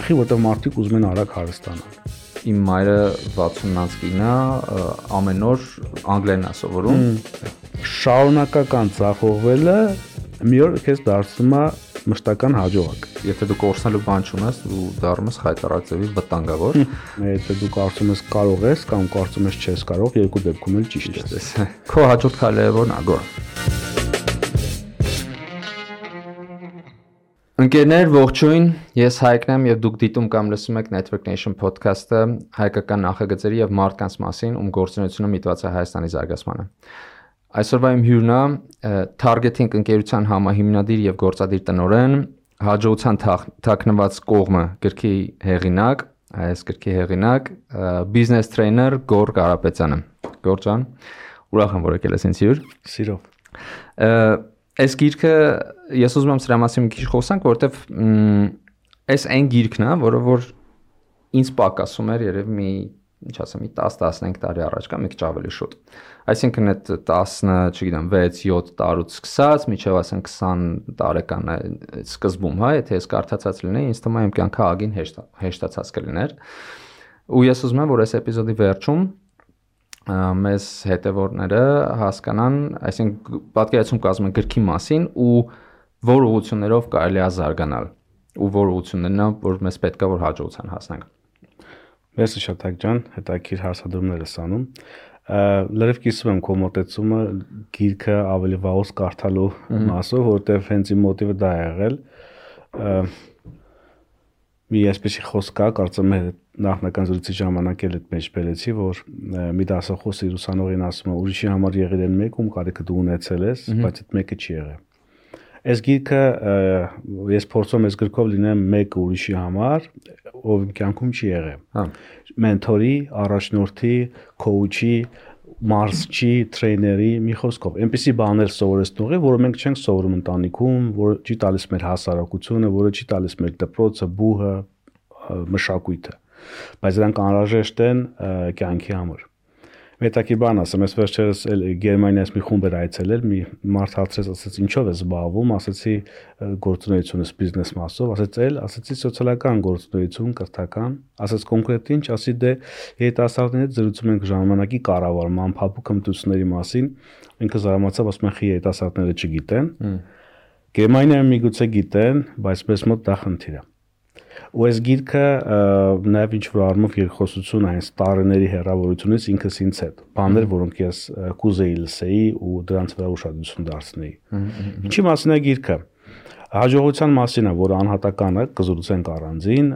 ուրախի, որտեղ մարդիկ ուզում են արագ հարստանալ։ Իմ մայրը 60-ից կին է, ամեն օր անգլերեն է սովորում։ Շարունակական ձախողվելը մի օր քեզ դարձնում է մշտական հաջողակ։ Եթե դու կորցնելու բան չունես, դու դառնում ես խայտարակ ձևի վտանգավոր։ Եթե դու կարծում ես կարող ես կամ կարծում ես չես կարող, երկու դեպքում էլ ճիշտ ես։ Քո հաջորդ քայլը ո՞րն է, Գոր։ Ընկերներ, ողջույն, ես Հայկն եմ եւ դուք դիտում կամ լսում եք Network Nation podcast-ը, հայկական նախագծերի եւ մարդկանց մասին, ում գործունեությունը միտված է Հայաստանի զարգացմանը։ Այսօրվա իմ հյուրն է Targeting ընկերության համահիմնադիր եւ գործադիր տնօրեն, հաջողության թաքնված կողմը գրքի հեղինակ, այս գրքի հեղինակ, բիզնես տրեյներ Գոր Կարապետյանը։ Գոր ջան, ուրախ եմ, որ եկել ես ինձ հյուր։ Սիրով։ Այս գիրքը ես ուզում եմ սրա մասին մի քիչ խոսանք, որովհետև այս այն գիրքն է, որը որ ինձ պակասում էր երևի մի, ինչ ասեմ, մի 10-15 տարի առաջ կամ մի քիչ ավելի շուտ։ Այսինքն այդ 10, չգիտեմ, 6-7 տարուց սկսած, մինչև ասեն 20 տարեկան սկզբում, հա, եթե ես կարդացած լինեի, ինձ թվում է իմ կյանքը ագին հեշտացած կլիներ։ Ու ես ուզում եմ, որ այս էպիզոդի վերջում մեզ հետևորդները հասկանան, այսինքն պատկերացում կազմեն գրքի մասին ու որ ուղղություններով կարելի է զարգանալ ու որ ուղղություններն են, որ մեզ պետք է որ հաջողության հասնենք։ Մերսի շատ Հայկ ջան, հետաքրքիր հարցադրումներ ես անում։ Լրիվ կիսում եմ քո մոտեցումը գիրքը ավելի վաղուց կարդալու մասով, որովհետև հենց իմ մոտիվը դա է եղել։ Մի այսպեսի խոսք կա, կարծում եմ նախնական զրույցի ժամանակ էլ այդ մեջ բերեցի, որ մի դասախոս իր ուսանողին ասում է, ուրիշի համար եղել են մեկ, ում կարիքը դու ունեցել ես, բայց այդ մեկը չի եղել։ Այս գիրքը ես փորձում եմ այս գրքով լինեմ մեկը ուրիշի համար, ով իմ կյանքում չի եղել։ Մենթորի, առաջնորդի, քոուչի, մարզչի, տրեյների, մի խոսքով, այնպիսի բաներ սովորեցնող է, որը մենք չենք սովորում ընտանիքում, որը չի տալիս մեր հասարակությունը, որը չի տալիս մեր դպրոցը, բուհը, մշակույթը, բայց դրանք անհրաժեշտ են կյանքի համար։ Մետակի բան ասեմ, ես վերջերս Գերմանիայից մի խումբ էր այցելել, մի մարդ հարցրեց, ասեց ինչով ես զբաղվում, ասեցի գործունեությունս բիզնես մասով, ասեցի սոցիալական գործունեություն, կրթական, ասեց կոնկրետ ինչ, ասի դե երիտասարդների հետ զրուցում ենք ժամանակի կառավարման, փափուկ հմտությունների մասին, ինքը զարմացավ, ասում են խի երիտասարդները չգիտեն, Գերմանիայում միգուցե գիտեն, բայց մեզ մոտ դա խնդիր է։ Ու այս գիրքը նաև ինչ-որ առումով երկխոսություն է այս տարիների հեռավորությունից ինքս ինձ հետ, բաներ, որոնք ես կուզեի լսեի ու դրանց վրա ուշադրություն դարձնեի։ Ինչի մասին է գիրքը։ Հաջողության մասին է, որը անհատական է, կզրուցենք առանձին,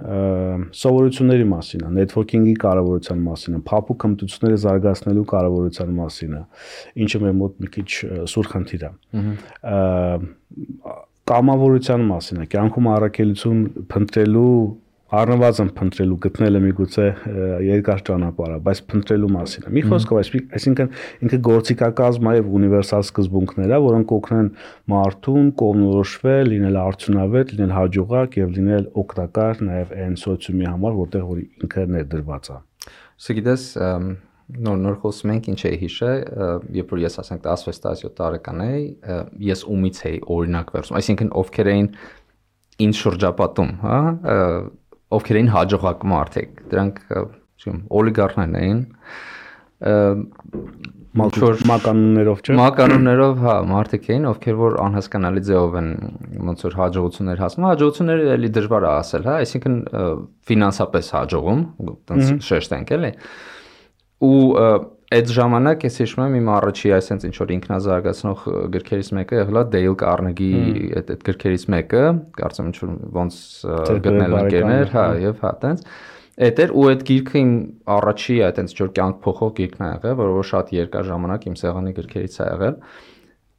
սովորությունների մասին է, նետվորքինգի կարևորության մասին է, փափուկ հմտությունները զարգացնելու կարևորության մասին է, ինչը մեր մոտ մի քիչ սուր խնդիր է։ Կամավորության մասին է, կյանքում առաքելություն փնտրելու, առնվազն փնտրելու, գտնելը միգուցե երկար ճանապարհ է, բայց փնտրելու մասին է։ Մի խոսքով, այսինքն ինքը գործիքակազմ է եւ ունիվերսալ սկզբունքներ է, որոնք կօգնեն մարդուն կողմնորոշվել, լինել արդյունավետ, լինել հաջողակ եւ լինել օգտակար նաեւ այն սոցիումի համար, որտեղ որ ինքը ներդրված է։ Գիտես, նոր խոսում ենք ինչ էի հիշել, երբ որ ես ասենք 16-17 տարեկան էի, ես ումից էի օրինակ վերցում, այսինքն ովքեր էին ինձ շրջապատում, հա, ովքեր էին հաջողակ մարդիկ, դրանք օլիգարխներն էին, մականուններով չէ։ Մականուններով, հա, մարդիկ էին, ովքեր որ անհասկանալի ձևով են ոնց որ հաջողություններ հասնում, հաջողությունները էլի դժվար է ասել, հա, այսինքն ֆինանսապես հաջողում, տենց շեշտենք էլի։ Ու այդ ժամանակ ես հիշում եմ իմ առաջի այսպես ինչ որ ինքնազարգացնող գրքերից մեկը եղել է Դեյլ Կարնեգի այդ գրքերից մեկը, կարծեմ ինչ որ ոնց գտնել ընկերներ, հա, եւ հա, տենց։ Այդ էր ու այդ գիրքը իմ առաջի այտենց ինչ որ կյանք փոխող գիրքն է եղել, որը շատ երկար ժամանակ իմ սեղանի գրքերից է եղել։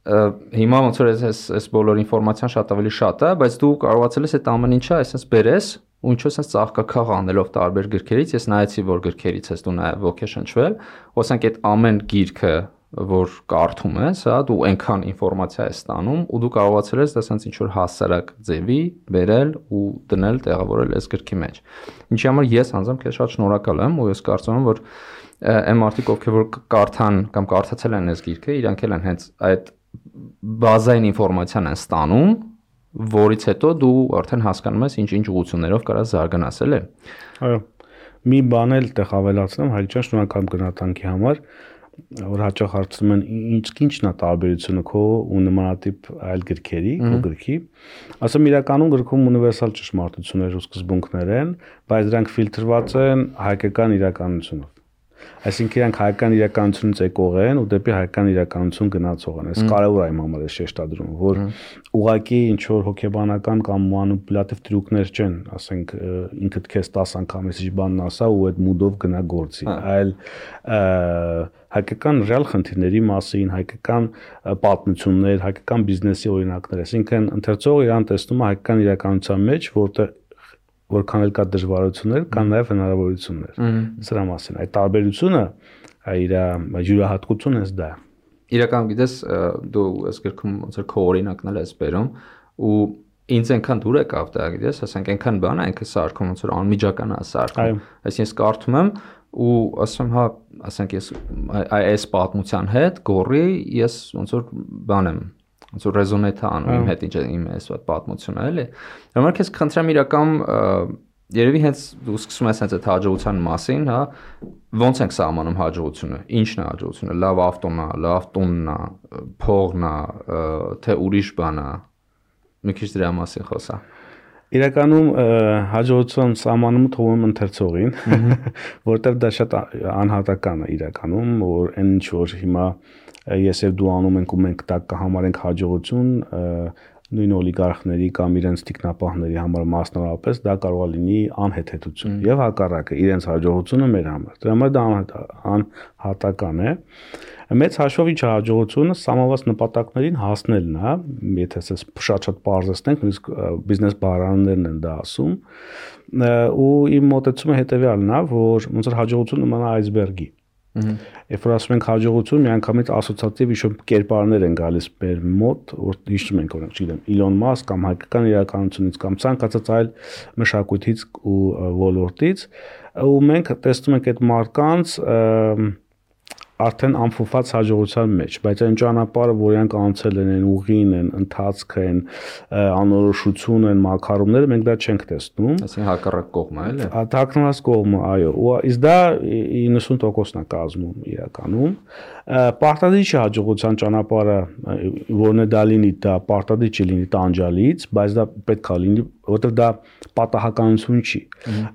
Հիմա ոնց որ այս բոլոր ինֆորմացիան շատ ավելի շատ է, բայց դու կարողացել ես այդ ամեն ինչը այսպես բերես ու ինչ որ ծաղկակաղ անելով տարբեր գրքերից, ես նայեցի, որ գրքերից ես դու նաև ոգեշնչվել, ասենք այդ ամեն գիրքը, որ կարդում ես, հա, դու այնքան ինֆորմացիա ես ստանում ու դու կարողացել ես դա sense ինչ որ հասարակ ձևի բերել ու դնել, տեղավորել այս գրքի մեջ։ Ինչի համար ես անձամբ քեզ շատ շնորհակալ եմ ու ես կարծում եմ, որ այն մարդիկ, ովքեր որ կարդան կամ կարդացել են այս գիրքը, իրանք էլ են հենց այդ բազային ինֆորմացիան են ստանում որից հետո դու արդեն հասկանում ես ինչ ուղղություններով կարա զարգանաս, էլի։ Այո։ Մի բան էլ տեղ ավելացնեմ, Հայկ ջան, շնորհակալ գնահատանքի համար, որ հաճախ հարցնում են ինչն է տարբերությունը քո ու նմանատիպ այլ գրքերի, քո գրքի։ Ասեմ իրականում գրքում ունիվերսալ ճշմարտություններ ու սկզբունքներ են, բայց դրանք ֆիլտրված են հայկական իրականությունով։ Այսինքն իրանք հայկական իրականությունից եկող են ու դեպի հայկական իրականություն գնացող են։ Այս կարևոր է իմ համար է շեշտադրում, որ ուղղակի ինչ որ հոգեբանական կամ մանիպուլյատիվ տրյուկներ չեն, ասենք ինքդ քեզ 10 անգամ էսի բանն ասա ու այդ մուդով գնա գործի, այլ հայկական ռեալ խնդիրների մասին, հայկական պատմություններ, հայկական բիզնեսի օրինակներ, այսինքն ընթերցողը իրան տեսնում է հայկական իրականության մեջ, որքան էլ կա դժվարություններ, կան նաև հնարավորություններ։ Սրա մասին այդ տարբերությունը իր յուրահատկությունն էս դա է։ Իրականում գիտես, դու այս գրքում ոնց որ քո օրինակն էլ ես բերում ու ինձ այնքան դուր եկավ դա, գիտես, ասենք այնքան բան է ինքը սարքում, ոնց որ անմիջական է սարքում։ Այսինքն ես կարդում եմ ու ասում հա, ասենք ես այս պատմության հետ գորի ես ոնց որ բան եմ ոնց որ ռեզոնետ անում իմ հետ իմ այս պատմությունը, էլի։ Հիմա քեզ խնդրեմ իրական երևի հենց դու սկսում ես հենց այդ հաջողության մասին, հա, ոնց ենք սահմանում հաջողությունը, ինչն է հաջողությունը, լավ ավտոն է, լավ տունն է, փողն է, թե ուրիշ բան է։ Մի քիչ դրա մասին խոսա։ Իրականում հաջողության սահմանումը թվում է ընթերցողին, որտեղ դա շատ անհատական է իրականում, որ այն ինչ որ հիմա ես եւ դու անում ենք ու մենք դա կհամարենք հաջողություն, նույն օլիգարխների կամ իրենց տիկնապահների համար մասնավորապես դա կարող է լինի անհեթեթություն եւ հակառակը իրենց հաջողությունը մեր համար։ Դրա համար դա անհատական է։ Մեծ հաշվով ինչ հաջողությունը սահմանված նպատակներին հասնելն է, եթե ասես շատ բարձրացնենք, նույնիսկ բիզնես բառարաններն են դա ասում, ու իմ մոտեցումը հետեւյալն է, որ ոնց որ հաջողությունը նման է այսբերգի։ Երբ որ ասում ենք հաջողություն, միանգամից ասոցիատիվ ինչ-որ կերպարներ են գալիս մեր մոտ, որ հիշում ենք օրինակ, չգիտեմ, Իլոն Մասկ կամ հայկական իրականությունից կամ ցանկացած այլ մշակույթից ու ոլորտից, ու մենք տեսնում ենք այդ մարդկանց արդեն ամփոփված հաջողության մեջ, բայց այն ճանապարհը, որ իրանք անցել են, ուղին են, ընթացքը են, անորոշություն են, մակարումները, մենք դա չենք տեսնում։ Այսինքն հակառակ կողմը, էլի։ Հակառակ կողմը, այո, ու իսկ դա 90%-ն է կազմում իրականում։ Պարտադիր չի հաջողության ճանապարհը, որն է դա լինի, դա պարտադիր չի լինի տանջալից, բայց դա պետք է լինի, որովհետև դա պատահականություն չի։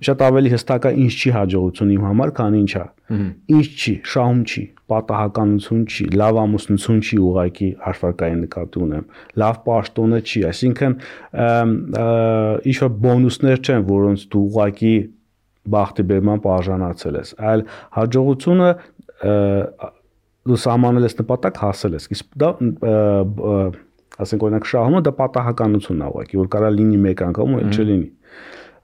Շատ ավելի հստակ է ինչ չի հաջողություն իմ համար, քան ինչ է։ Ինչ չի, շահում չի, պատահականություն չի, լավ ամուսնություն չի ուղղակի հաշվարկային նկատի ունեմ, լավ պաշտոնը չի, այսինքն ինչ որ բոնուսներ չեն, որոնց դու ուղղակի բախտի բերման արժանացել ես, այլ հաջողությունը դու սահմանել ես նպատակ, հասել ես։ Իսկ դա ասենք օրինակ շահումը դա պատահականությունն է ուղղակի, որ կարա լինի մեկ անգամ ու չլինի։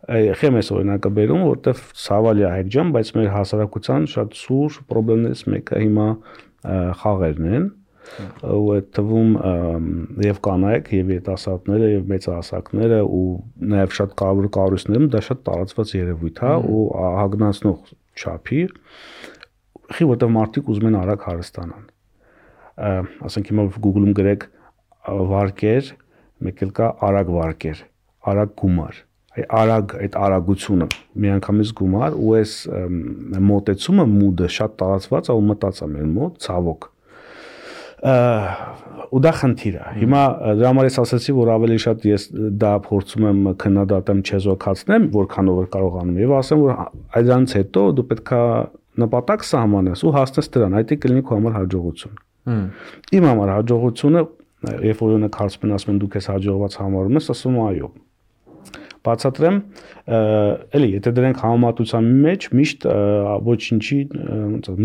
Խեմ ես օրինակը բերում, որտեվ ցավալի է Հայկ ջան, բայց մեր հասարակության շատ սուր խնդիրներից մեկը հիմա խաղերն են, ու այդ թվում եւ կանայք եւ երիտասարդները եւ մեծահասակները ու նաեւ շատ կարևոր կառույցներում դա շատ տարածված երևույթ է ու հագնացնող չափի, որտեղ մարդիկ ուզում են արագ հարստանան։ Ասենք հիմա Google-ում գրեք վարկեր, մեկ էլ կա արագ վարկեր, արագ գումար։ Արագ այդ արագությունը միանգամից գումար ու այս մոտեցումը մուդը շատ տարածված է ու մտած է մեր մոտ ցավոք ու դա խնդիր է հիմա դրա համար ես ասացի որ ավելի շատ ես դա փորձում եմ քննադատեմ չեզոքացնեմ որքանով որ կարողանում եւ ասեմ որ այդրանից հետո դու պետքա նպատակ սահմանես ու հասնես դրան այդ է կլինի քո համար հաջողություն իմ համար հաջողությունը երբ որ ունեք հարցում ասում են դու քեզ հաջողված համարում ես ասում այո բացատրեմ, էլի, եթե դրանք համեմատության մեջ միշտ ոչինչի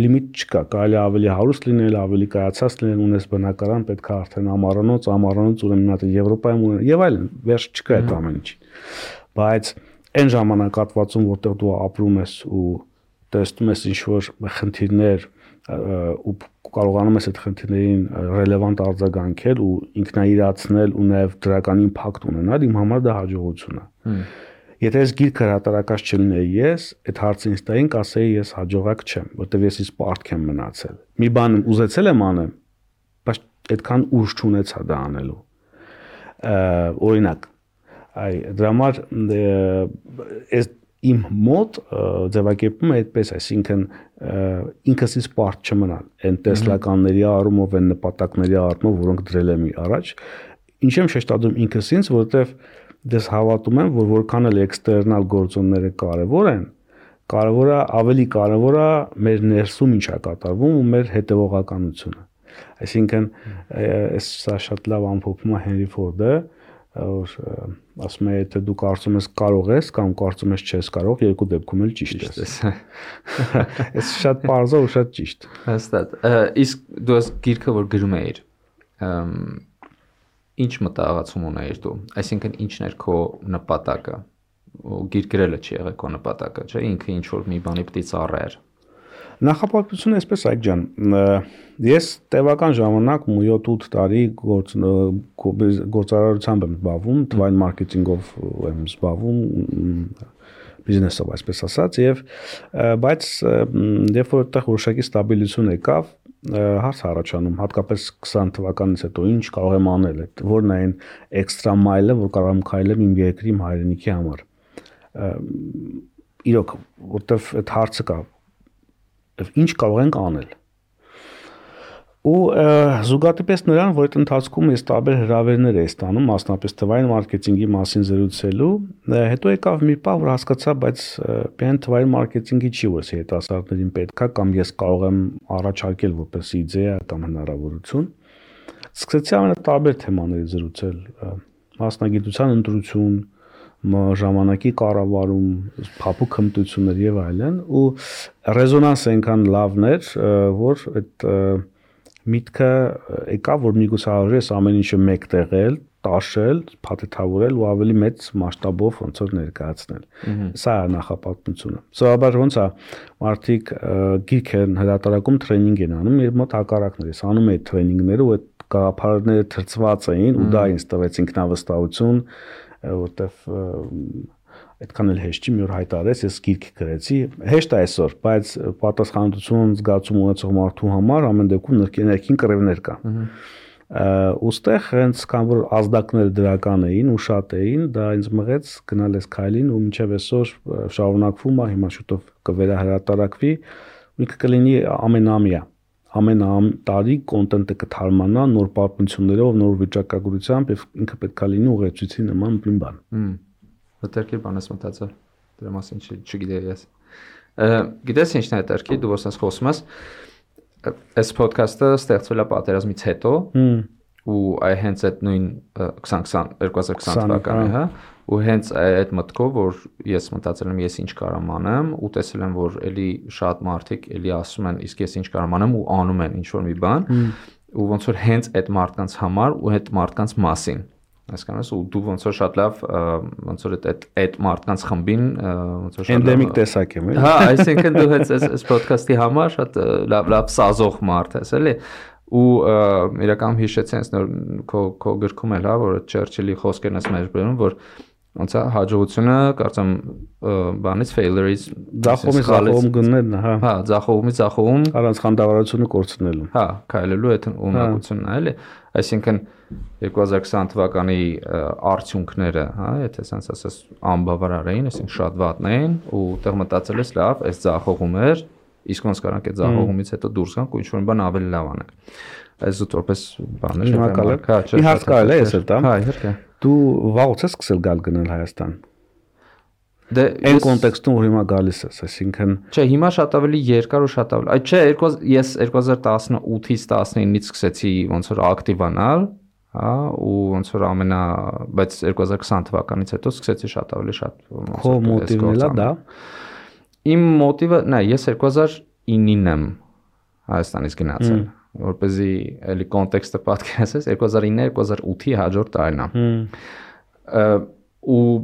լիմիտ չկա, կարելի ավելի հարուստ լինել, ավելի կայացած լինել, ունես բնակարան, պետք է արդեն ամառանոց, ուրեմն մնաց Եվրոպայում ունեն եւ այլն, վերջ չկա այդ ամեն ինչի։ Բայց այն ժամանակահատվածում, որտեղ դու ապրում ես ու տեսնում ես ինչ-որ խնդիրներ ու կարողանում ես այդ խնդիրներին ռելևանտ արձագանքել ու ինքնաիրացնել ու նաև դրական իմպակտ ունենալ, իմ համար դա հաջողություն է։ Եթե ես գիրք հրատարակած չլիներ ես, այդ հարցը ինձ տային կասեի ես հաջողակ չեմ, որտեղ ես իսկ պարտք եմ մնացել։ Մի բան ուզեցել եմ անեմ, բայց այդքան ուժ չունեցա դա անելու։ Օրինակ, դրա համար այս իմ մոտ ձևակերպումը այդպես, այսինքն ինքս ինձ պարտ չմնալ այն տեսլականների առումով, այն նպատակների առումով, որոնք դրել եմ առաջ, ինչ եմ շեշտադրում ինքս ինձ, որովհետև դες հավատում եմ, որ որքան էլ էքստերնալ գործոնները կարևոր են, ավելի կարևոր է մեր ներսում ինչ է կատարվում ու մեր հետևողականությունը։ Այսինքն սա շատ լավ ամփոփում է Հենրի Ֆորդը, որ ասում է, եթե դու կարծում ես կարող ես կամ կարծում ես չես կարող, երկու դեպքում էլ ճիշտ ես։ Այս շատ պարզ է ու շատ ճիշտ։ Հստակ։ Իսկ դու այս գիրքը որ գրում էիր, ինչ մտահղացում ունեիր դու։ Այսինքն ինչն էր քո նպատակը։ Գիրք գրելը չի եղել քո նպատակը, չէ՞, ինքը ինչ որ մի բանի պիտի ծառայեր։ Նախապատվությունը այսպես Այկ ջան, ես տևական ժամանակ 7-8 տարի գործարարությամբ եմ զբաղվում, թվային մարքեթինգով եմ զբաղվում, բիզնեսով այսպես ասած, եւ բայց երբ որ այդտեղ որոշակի ստաբիլություն եկավ, հարց առաջանում, հատկապես 20 թվականից հետո ինչ կարող եմ անել, որն է այն էքստրա մայլը, որ կարող եմ քայլել իմ երկրի, իմ հայրենիքի համար։ Իրոք, որտեվ այդ հարցը կա, ինչ կարող ենք անել։ Ու զուգադիպես նրան, որ այդ ընթացքում ես տարբեր հրավերներ էի ստանում, մասնապես թվային մարքեթինգի մասին զրուցելու, հետո եկավ մի պահ, որ հասկացա, բայց միայն թվային մարքեթինգի չի, որ երիտասարդներին պետք է, կամ ես կարող եմ առաջարկել որպես իդեա կամ հնարավորություն։ Սկսեցի ամենատարբեր թեմաներից զրուցել, մասնագիտության ընտրություն, ժամանակի կառավարում, փափուկ հմտություններ եւ այլն, ու ռեզոնանսը այնքան լավն էր, որ այդ միտքը եկավ, որ միգուցե արժի այս ամեն ինչը մեկտեղել, տաշել, փաթեթավորել ու ավելի մեծ մասշտաբով ոնց որ ներկայացնել։ Սա է նախապատմությունը։ Սովորաբար ոնց է մարդիկ գիրք են հրատարակում, տրեյնինգ են անում, եւ մոտ հակառակն է, ես անում էի տրեյնինգները ու այդ գաղափարները թրծված էին ու դա ինձ տվեց ինքնավստահություն, որտեվ այդքան էլ հեշտ չի, մի օր հայտարարեց, ես գիրք գրեցի, հեշտ է այսօր, բայց պատասխանատվություն զգացում ունեցող մարդու համար ամեն դեպքում ներքին կռիվներ կան։ Ուստեղ հենց քան որ ազդակները դրական էին ու շատ էին, դա ինձ մղեց գնալ այս քայլին ու մինչև այսօր շարունակվում է, հիմա շուտով կվերահրատարակվի, ու ինքը կլինի ամենամյա, ամեն տարի կոնտենտը կթարմանա նոր պատմություններով, նոր վիճակագրությամբ եւ ինքը պետք է լինի ուղեցույցի նման մի բան։ Հետերքի բան ես մտածել, դրա մասին չգիտեի ես։ Գիտես ինչն է հետերքի, դու ոսնես խոսում ես, այս ոդքասթը ստեղծվել է պատերազմից հետո, ու հենց այդ նույն 2020 թվականի, հա, ու հենց այդ մտքով, որ ես մտածել եմ ես ինչ կարամ անեմ, ու տեսել եմ, որ էլի շատ մարդիկ էլի ասում են, իսկ ես ինչ կարամ անեմ ու անում են ինչ-որ մի բան, ու ոնց որ հենց այդ մարդկանց համար ու այդ մարդկանց մասին, հասկանաս, ու դու ոնց որ շատ լավ, ոնց որ այդ մարդկանց խմբին, ոնց որ շատ լավ էնդեմիկ տեսակ եմ, էլի։ Հա, այսինքն դու հենց այս ոդքասթի համար շատ լավ սազող մարդ ես, էլի։ Ու իրականում հիշեցի հենց նոր քո գրքում էլ, հա, որ Չերչիլի խոսքերն ես մեր բերում, որ ոնց է հաջողությունը, կարծեմ, բանից failure-ից ձախողումից գնելն է, հա։ Հա, ձախողում առանց խանդավառությունը կորցնելու։ Հա, քայլելու այդ ունակությունն է, էլի։ Այսինքն 2020 թվականի արդյունքները, հա, եթե ասենց ասես անբավարար էին, այսինքն շատ վատն էին, ու տեղ մտածել ես, լավ, այս ձախողում էր, իսկ ոնց կարանք այդ ձախողումից հետո դուրս գանք ու ինչ-որ բան ավելի լավ անենք։ Այս զուտորպես բաներ շնորհակալ եմ։ Մի հարց կարելի է ես էլ տամ։ Հա, իհարկե։ Դու վաղուց ես սկսել գալ Հայաստան։ Դե այն կոնտեքստում որ հիմա գալիս ես, այսինքն չէ, հիմա շատ ավելի երկար ու շատ ավելի։ Այդ չէ, ես 2018-ից 19-ից սկսեցի ոնց որ ակտիվանալ, հա, ու ոնց որ բայց 2020 թվականից հետո սկսեցի շատ ավելի շատ քո մոտիվն է դա։ Իմ մոտիվը, նայ, ես 2009-ին եմ Հայաստանից գնացել, որպեսզի էլի կոնտեքստը պատկերացնես, 2009-2008-ի հաջորդ տարին է։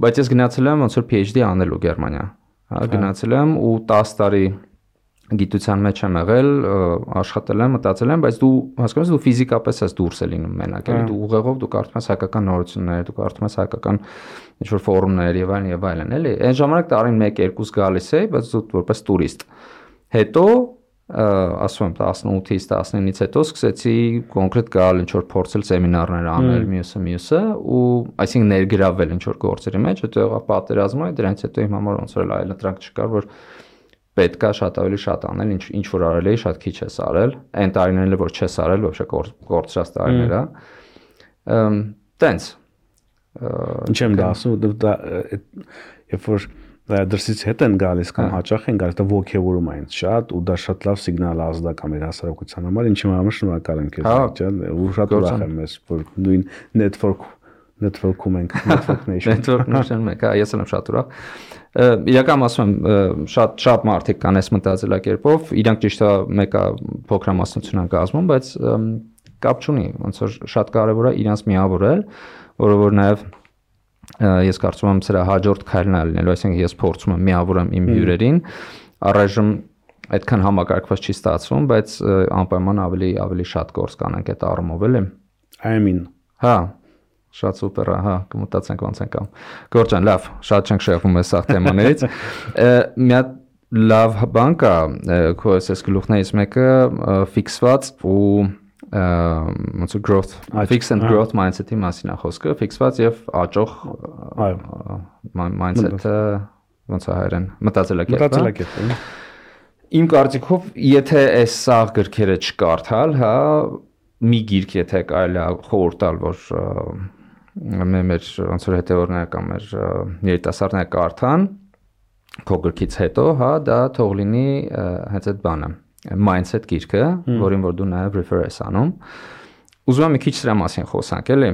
Բայց ես գնացել եմ ոնց որ PhD անելու Գերմանիա, հա, գնացել եմ ու 10 տարի գիտության մեջ եմ եղել, աշխատել եմ, մտածել եմ, բայց դու հասկանաս դու ֆիզիկապես ես դուրս է լինում մենակ, էլի դու ուղեղով դու կարդում ես հայկական նորություններ, դու կարդում ես հայկական ինչ-որ ֆորումներ եւ այլն, էլի։ Այն ժամանակ տարին 1-2 գալիս էի, բայց դու որպես տուրիստ։ Հետո ասում եմ 18-ից 19-ից հետո սկսեցի կոնկրետ գալ ինչ որ փորձել սեմինարներ անել մյուսը ու այսինքն ներգրավել ինչ որ գործերի մեջ, հետո եղավ պատերազմը, դրանից հետո իմ համար ոնց որ այլ ընտրանք չկար, որ պետքա շատ ավելի շատ անել, ինչ որ արել էի, շատ քիչ ես արել, այն տարիներն որ չես արել, ոչ կորցրած տարիներ է։ Տենց ինչ եմ դա ասում, երբ որ դրսից հետ են գալիս կամ հաճախ են գալիս, դա ոգևորում է ինձ շատ ու դա շատ լավ սիգնալ է ազդակա մեր հասարակության համար, ինչի համար շնորհակալ եմ քեզ, ջան, ու շատ ուրախ եմ ես, որ նույն network-ում ենք, network nation մենք, ես եմ շատ ուրախ։ Իրականում ասում եմ, շատ մարդիկ կան այս մտածելակերպով, իրանք ճիշտ է մեկը փոքրամասնություն են կազմում, բայց կապ չունի, ոնց որ շատ կարևոր է իրանց միավորել, որը որ նաև ես կարծում եմ սրա հաջորդ քայլն է լինելու, այսինքն ես փորձում եմ միավորեմ իմ հյուրերին, առայժմ այդքան համակարգված չի ստացվում, բայց անպայման ավելի շատ գործ կանենք այդ առումով էլի։ Ամին։ Հա, շատ սուպեր է, հա, կմտածենք ոնց ենք անում։ Գորջան, լավ, շատ չենք շեղվում այս սաղ թեմաներից։ Մի հատ լավ բան կա, քո այս գլուխներից մեկը ֆիքսված ու ոնց որ growth fix and growth mindset-ի մասին է խոսքը, ֆիքսված եւ աճող mindset-ը ոնց է հայերեն մտածելակերպը։ Իմ կարծիքով, եթե այս սաղ գրքերը չկարդալ, հա, մի գիրք եթե կարելի է խորհուրդ տալ, որ մեր ոնց որ հետևորդները կամ մեր երիտասարդները կարդան քո գրքից հետո, հա, դա թող լինի հենց այդ բանը mindset գիրքը, որին որ դու նաև refer ես անում։ Ուզում եմ մի քիչ սրա մասին խոսանք, էլի։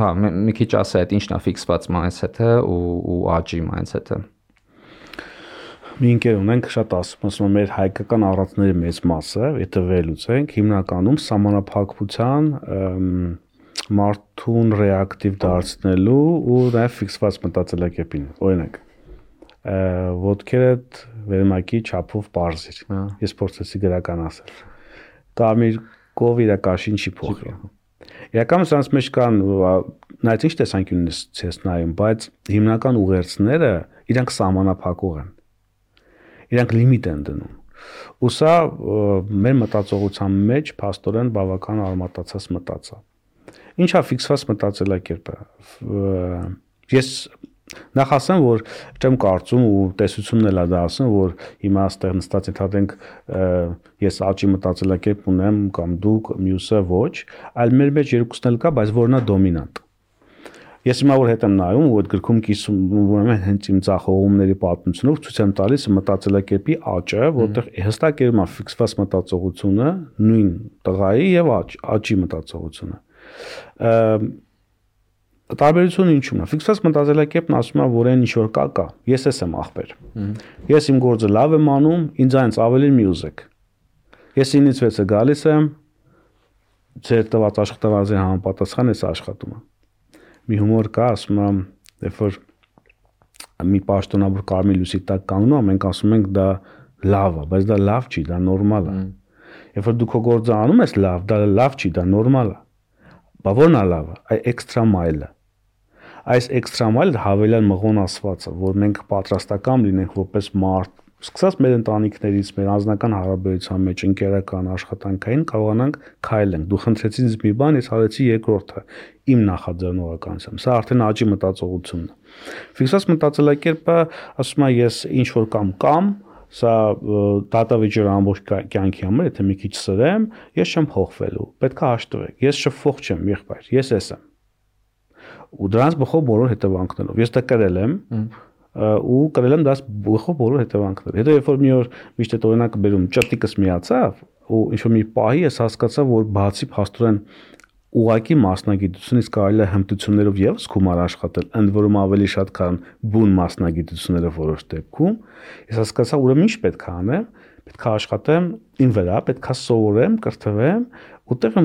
Հա, մի քիչ ասա այդ ինչն է ֆիքսված mindset-ը ու աճի mindset-ը։ Մի ընկեր ունենք շատ ասում մեր հայկական առածների մեծ մասը, եթե վերլուծենք, հիմնականում սահմանափակության մարդուն ռեակտիվ դարձնելու ու նաև ֆիքսված մտածելակերպին։ Օրինակ, ոտքերդ վերմակի չափով բարձիր։ Ես փորձեցի գրական ասել։ Կարմիր կովիրա կաշին չի փոխի։ Իրականում սրանց մեջ կան նայած ինչ տեսանկյունից ես նայում, բայց հիմնական ուղերձները իրանք սահմանափակող են։ Իրանք լիմիտ են դնում։ Ու սա մեր մտածողության մեջ փաստորեն բավական արմատացած մտածա։ Ինչա ֆիքսված մտածելակերպը։ Ես նախ ասեմ, որ չեմ կարծում ու տեսությունն էլ է դա ասում, որ հիմա այստեղ նստած ենթադրենք ես աճի մտածելակերպ ունեմ կամ դուք մյուսը ոչ, այլ մեր մեջ երկուսն էլ կա, բայց որն է դոմինանտ։ Ես հիմա որ հետ եմ նայում ու այդ գրքում կիսում ուրեմն հենց իմ ցախողումների պատմությունով ցույց եմ տալիս մտածելակերպի աճը, որտեղ հստակ երևում է ֆիքսված մտածողությունը, նույն տղայի եւ աճի մտածողությունը։ Տարբերությունը ինչու՞մն է։ Ֆիքսված մտածելակերպն ասում է, որ այն ինչ որ կա, ես եմ ախպեր։ Ես իմ գործը լավ եմ անում, ինձ այնց ավելի մյուզեք։ Ես 9-ից 6-ը գալիս եմ, ձեր տված աշխատավարձի համապատասխան ես աշխատում եմ։ Մի հումոր կա, ասում եմ, երբ որ մի պաշտոնավոր կարմիր լույսի տակ կանգնում է, մենք ասում ենք դա լավ է, բայց դա լավ չի, դա նորմալ է։ Երբ որ դու քո գործը անում ես լավ, դա լավ չի, դա նորմալ է։ Բա ո՞րն է լավը, այ էքստրա մայլը։ Այս էքստրա մայլը հավելյալ մղոն ասվածը, որ մենք պատրաստական լինենք որպես մարդ, սկսած մեր ընտանիքներից, մեր անձնական հարաբերության մեջ, ընկերական, աշխատանքային կարողանանք քայլենք։ Դու խնդրեցի ինձ մի բան, ես արեցի երկրորդը, իմ նախաձեռնողականությամբ։ Սա արդեն աճի մտածողությունն է։ Ֆիքսված մտածելակերպը ասում է ես ինչ որ կամ սա դատավիճեր ամբողջ կյանքի համար, եթե մի քիչ սրեմ, ես չեմ փոխվելու, պետք է հաշտվեք, ես շփվող չեմ, եղբայր, ես եմ։ Ու դրանց բխող բոլոր հետևանքներով։ Ես դա կրել եմ, ու կրել եմ դաս բխող բոլոր հետևանքները։ Հետո երբ որ մի օր միշտ այդ օրինակը բերում, ճտիկս միացավ, ու ինչ որ մի պահի ես հասկացա, որ բացի փաստորեն ուղակի մասնագիտությունից կարելի է հմտություններով եւս գումար աշխատել, ընդ որում ավելի շատ քան բուն մասնագիտությունները որոշ դեպքում, ես հասկացա, ուրեմն ինչ պետք է անեմ, պետք է աշխատեմ ին վրա, պետք է սովորեմ, կրթվեմ, ուտեղ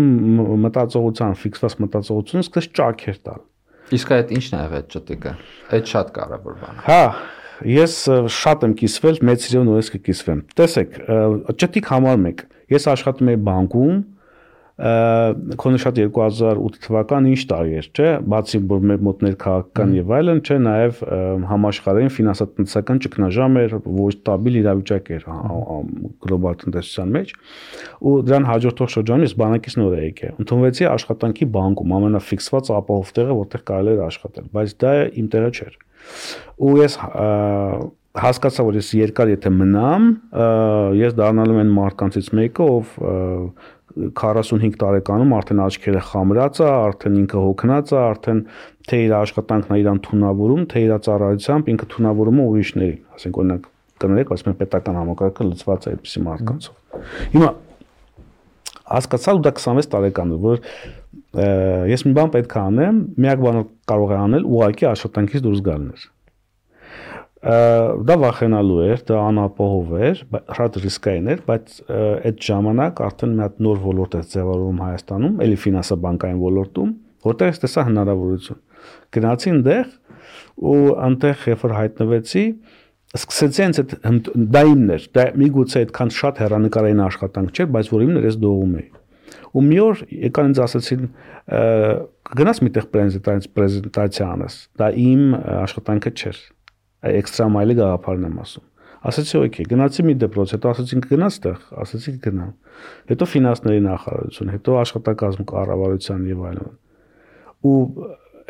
մտածողության, ֆիքսված մտածողությունը սկսեց ճաքեր տալ։ Իսկ այդ ի՞նչն է այդ ճտիկը։ Այդ շատ կարևոր բան է։ Հա, ես շատ եմ կիսվել, մեծ սիրով նորից կկիսվեմ։ Տեսեք, ճտիկ համար մեկ։ Ես աշխատում եի բանկում, քոնը շատ 2008 թվականը ինչ տարի էր, չէ, բացի որ մեր մոտ ներքաղաքական եւ այլն, չէ, նաեւ համաշխարհային ֆինանսատնտեսական ճգնաժամ էր, ոչ ստաբիլ իրավիճակ էր գլոբալ տնտեսության մեջ, ու դրան հաջորդող շրջանում ես բանակից նոր եկել։ Ընդունվեցի աշխատանքի բանկում, ամենաֆիքսված ապահով տեղը, որտեղ կարելի էր աշխատել, բայց դա իմ տեղը չէր։ Ու ես հասկացա, որ ես երկար եթե մնամ, ես դառնալու եմ մարդկանցից մեկը, ով 45 տարեկանում արդեն աչքերը խամրած է, արդեն ինքը հոգնած է, արդեն թե իր աշխատանքն է իրան թունավորում, թե իր ծառայությամբ ինքը թունավորում է ուրիշների, ասենք օրինակ կներեք, ասում են պետական համակարգը լծված է այդպիսի մարդկանցով։ Հիմա հասկացա ու դա 26 տարեկան է, որ ես մի բան պետք է անեմ, միակ բանը կարող է անել ուղղակի աշխատանքից դուրս գալն էր։ Դա վախենալու էր, դա անապահով էր, շատ ռիսկային էր, բայց այդ ժամանակ արդեն մի հատ նոր ոլորտ է ձևավորվում Հայաստանում, էլի ֆինանսա-բանկային ոլորտում, որտեղ ես տեսա հնարավորություն։ Գնացի այնտեղ ու այնտեղ երբ որ հայտնվեցի, սկսեցի հենց դա իմն էր, դա միգուցե այդքան շատ հեռանկարային աշխատանք չէր, բայց որ իմն էր, ես դողում էի։ Ու մի օր եկան ինձ ասեցին գնաս միտեղ պրեզենտացիա անես, դա իմ աշխատանքը չէր։ Էքստրա մայլի գաղափարն եմ ասում։ Ասացի օքեյ, գնացի մի դպրոց, հետո ասացին կգնաս տեղ, ասացի կգնամ։ Հետո ֆինանսների նախարարություն, հետո աշխատակազմ կառավարության եւ այլն։ Ու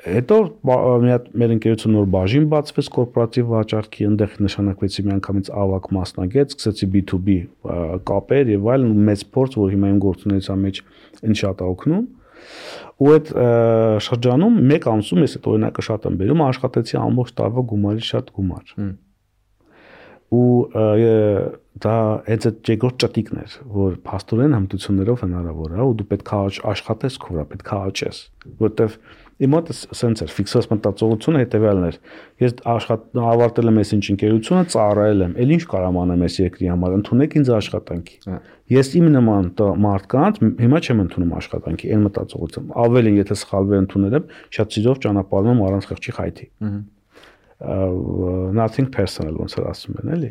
հետո մի հատ մեր ընկերություն նոր բաժին բացվեց կորպորատիվ վաճառքի, այնտեղ նշանակվեցի միանգամից ավակ մասնագետ, սկսեցի B2B կապեր եւ այլն, մեծ փորձ, որ հիմա իմ գործունեության մեջ ինձ շատ է օգնում։ Ու այդ շրջանում մեկ ամսում ես այդ օրինակը շատ եմ բերում, աշխատեցի ամբողջ տարվա գումարի շատ գումար։ Ու դա այդ երկրորդ ճտիկն էր, որ փաստորեն հմտություններով հնարավոր է, ու դու պետք է աշխատես քո վրա, պետք է աճես, որտեվ իմ մոտ սենց էր, ֆիքսված մտածողությունը հետևյալն էր։ Ես ավարտել եմ այսինչ ընկերությունը, ծառայել եմ, ել ինչ կարամ անեմ այս երկրի համար, ընդունեք ինձ աշխատանքի։ Ես իմ նման մարդկանց հիմա չեմ ընդունում աշխատանքի, այն մտածողությամբ։ Ավելին, եթե սխալվեր ընդունել եմ, շատ սիրով ճանապարհում եմ առանց խղճի խայթի։ Nothing personal ոնց որ ասում են, էլի։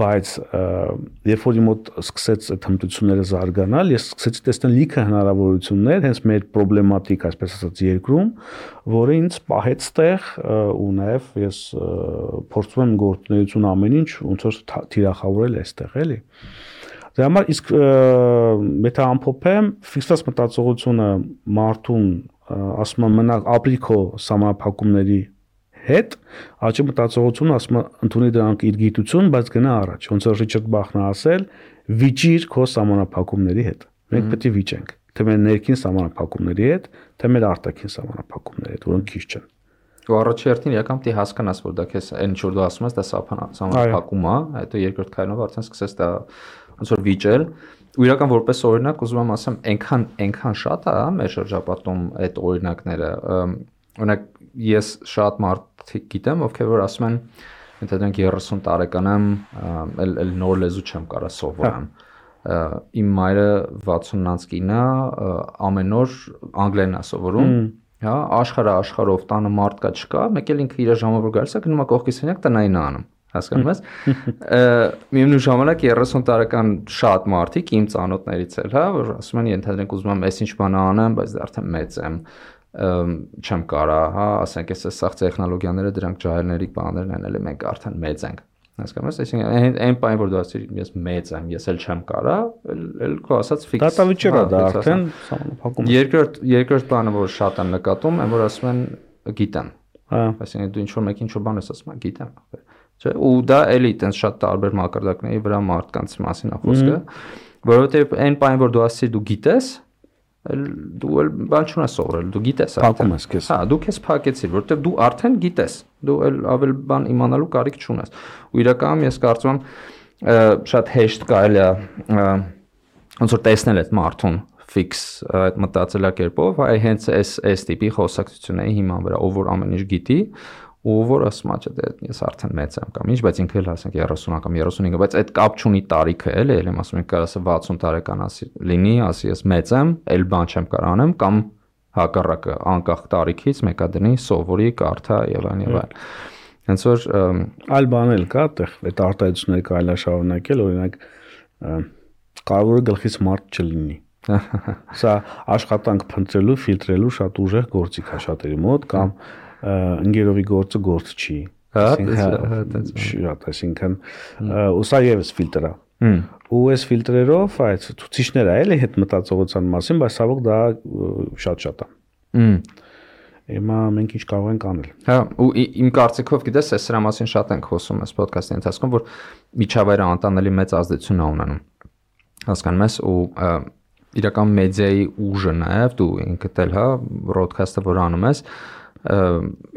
Բայց երբ որ իմ մոտ սկսեց այդ հմտությունները զարգանալ, ես սկսեցի տեսնել լիքը հնարավորություններ հենց մեր պրոբլեմատիկ, այսպես ասած, երկրում, որը ինձ պահեց տեղ ու նաև ես փորձում եմ գործունեություն ամեն ինչ ոնց որ թիրախավորել այստեղ, էլի։ Դրա համար իսկ եթե ամփոփեմ, ֆիքսված մտածողությունը մարդուն ասում եմ մնա ապրիքո սահմանափակումների հետ, աճի մտածողությունը ասում է ընդունի դրանք իր գիտություն, բայց գնա առաջ։ Ոնց որ Ռիչարդ Բախն է ասել, վիճիր քո սահմանափակումների հետ։ Մենք պետք է վիճենք, թե մեր ներքին սահմանափակումների հետ, թե մեր արտաքին սահմանափակումների հետ, որոնք քիչ չեն։ Ու առաջերտին իրական պետք է հասկանաս, որ դա քեզ այն ինչ որ դու ասում ես, դա սահմանափակում է, հետո երկրորդ քայլով արդեն սկսես դա ոնց որ վիճել։ Ու իրական որպես օրինակ ուզում եմ ասեմ, այնքան շատ է մեր շրջապատում այդ օրինակները։ Օրինակ ես շատ մարդիկ գիտեմ, ովքեր որ ասում են, եթե դրանք 30 տարեկան եմ, էլ նոր լեզու չեմ կարա սովորեմ։ Իմ մայրը 60-ից կին է, ամեն օր անգլերեն է սովորում, հա, աշխարհով տանը մարդ կա չկա, մեկ էլ ինքը իր ժամանակ գալիս է, գնում է կողքի սենյակ տնային անում։ Հասկանում ես։ Միևնույն ժամանակ 30 տարեկան շատ մարդիկ իմ ծանոթներից էլ, հա, որ ասում են, ենթադրենք ուզում եմ այսինչ բան անեմ, բայց դա արդեն մեծ եմ, չեմ կարա, հա, ասենք այս սաղ տեխնոլոգիաները դրանք ջահելների բաներն են, էլի մենք արդեն մեծ ենք։ Հասկանում ես, այսինքն այն բանը որ դու ասիր, ես մեծ եմ, ես էլ չեմ կարա, էլ քո ասած ֆիքս։ Դատավիճեր է դա արդեն սահմանափակում։ Երկրորդ բանը որ շատ եմ նկատում, այն որ ասում են գիտեմ։ Հա, այսինքն դու ինչ որ մեկ ինչ որ բան ես ասում, գիտեմ։ Չէ, ու դա էլի տենց շատ տարբեր մակարդակների վրա մարդկանց մասին է խոսքը, որովհետև այն բանը որ դու ասիր դու գիտես, դու էլ բան չունես սովորել, դու գիտես արդեն։ Փակում ես քեզ։ Հա, դու քեզ փակեցիր, որովհետև դու արդեն գիտես, դու էլ ավել բան իմանալու կարիք չունես։ Ու իրականում ես կարծում եմ շատ հեշտ կարելի է ոնց որ տեսնել այդ մարդուն ֆիքս այդ մտածելակերպով, այ հենց այս տիպի խոսակցությունների հիման վրա, ով որ ամեն ինչ գիտի, ու որ ասում է, չէ, ես արդեն մեծ եմ կամ ինչ, բայց ինքը էլ ասենք 30 կամ 35, բայց այդ կապ չունի տարիքը, էլի, եմ ասում, ինքը ասա 60 տարեկան ասի լինի, ասի ես մեծ եմ, էլ բան չեմ կարող անեմ, կամ հակառակը անկախ տարիքից մեկա դնի, սովորի, կարդա եւ այլն։ Հենց որ այլ բան էլ կա, այդտեղ այդ արտահայտությունները կարելի է շարունակել, օրինակ կարևորը գլխից մարդ չլինի։ Սա աշխատանք փնտրելու, ֆիլտրելու շատ ուժեղ գործիք է շատերի մոտ կամ ընկերովի գործը գործ չի։ Այսինքն ու սա եւս ֆիլտր է։ Ու այս ֆիլտրերով այդ ցուցիչները էլի հետ մտածողության մասին, բայց ցավոք դա շատ է։ Հիմա մենք ինչ կարող ենք անել։ Հա, ու իմ կարծիքով գիտես, այս սրա մասին շատ ենք խոսում այս ոդքասթի ընթացքում, որ միջավայրը անտանելի մեծ ազդեցություն է ունենում։ Հասկանում ես, ու իրական մեդիայի ուժը նաև դու ինքդ էլ, հա, broadcast-ը որ անում ես,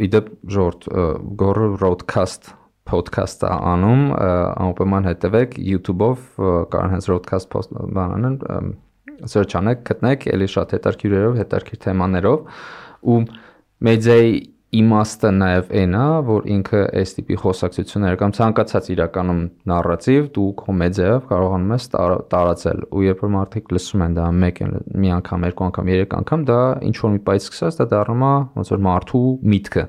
իդեպ ժողովուրդ գորը broadcast podcast-ը անում, անպայման հետևեք YouTube-ով, կարող հենց broadcast բանանն search անեք, գտնեք, էլի շատ հետաքրքիրերով, հետաքրքիր թեմաներով, ու մեդիայի իմաստը նաև այն է, որ ինքը այս տիպի խոսակցություններ կամ ցանկացած իրականում նարրատիվ դու քո մեդիայով կարողանում ես տարածել, ու երբ որ մարդիկ լսում են դա մի անգամ, երկու անգամ, երեք անգամ, դա ինչ որ մի պայծ սկսած, դա դառնում է ոնց որ մարդու միտքը։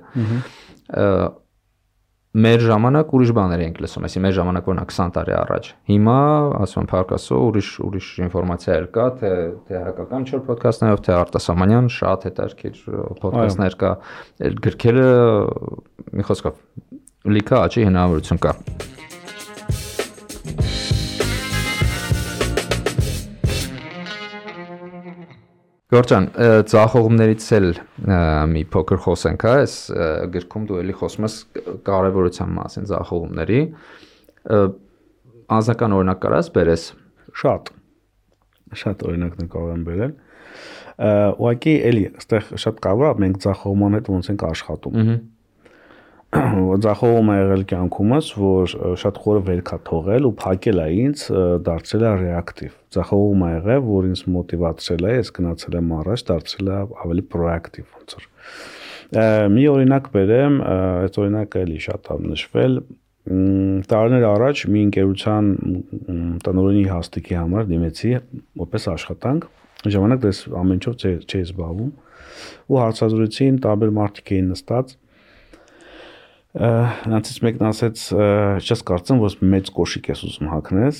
Մեր ժամանակ ուրիշ բաներ ենք լսում, այսինքն մեր ժամանակ որնա 20 տարի առաջ։ Հիմա, ասում եմ, փառքասո ուրիշ ինֆորմացիա կա, թե հայկական չոր ոդքասթներով, թե արտասահմանյան շատ հետաքրքիր ոդքասթներ կա, գրքերը մի խոսքով լիքը աճի հնարավորություն կա։ Գորջան, ծախողումներից էլ մի փոքր խոսենք, հա, այս գրքում դու էլի խոսում ես կարևորության մասին ծախողումների, անձնական օրինակ կարաս բերես։ Շատ օրինակներ կարող եմ բերել։ Ուղղակի էլի, այստեղ շատ կարևոր է մենք ծախողման հետ ոնց ենք աշխատում։ Ձախողում է եղել կյանքումս, որ շատ խորը վերք է թողել ու փակել է ինձ, դարձել է ռեակտիվ։ Ձախողում է եղել, որ ինձ մոտիվացրել է, ես գնացել եմ առաջ, դարձել է ավելի պրոակտիվ ոնց որ։ Մի օրինակ բերեմ, այդ օրինակը էլի շատ է նշվել։ Տարիներ առաջ մի ընկերության տնօրենի հաստիքի համար դիմեցի որպես աշխատանք։ Ժամանակ դες ամեն ինչով չէի զբաղվում ու հարցազրույցին տարբեր մարդիկ էին նստած։ Նրանցից մեկն ասեց, չես կարծեմ, որ մեծ կոշիկ ես ուզում հագնես։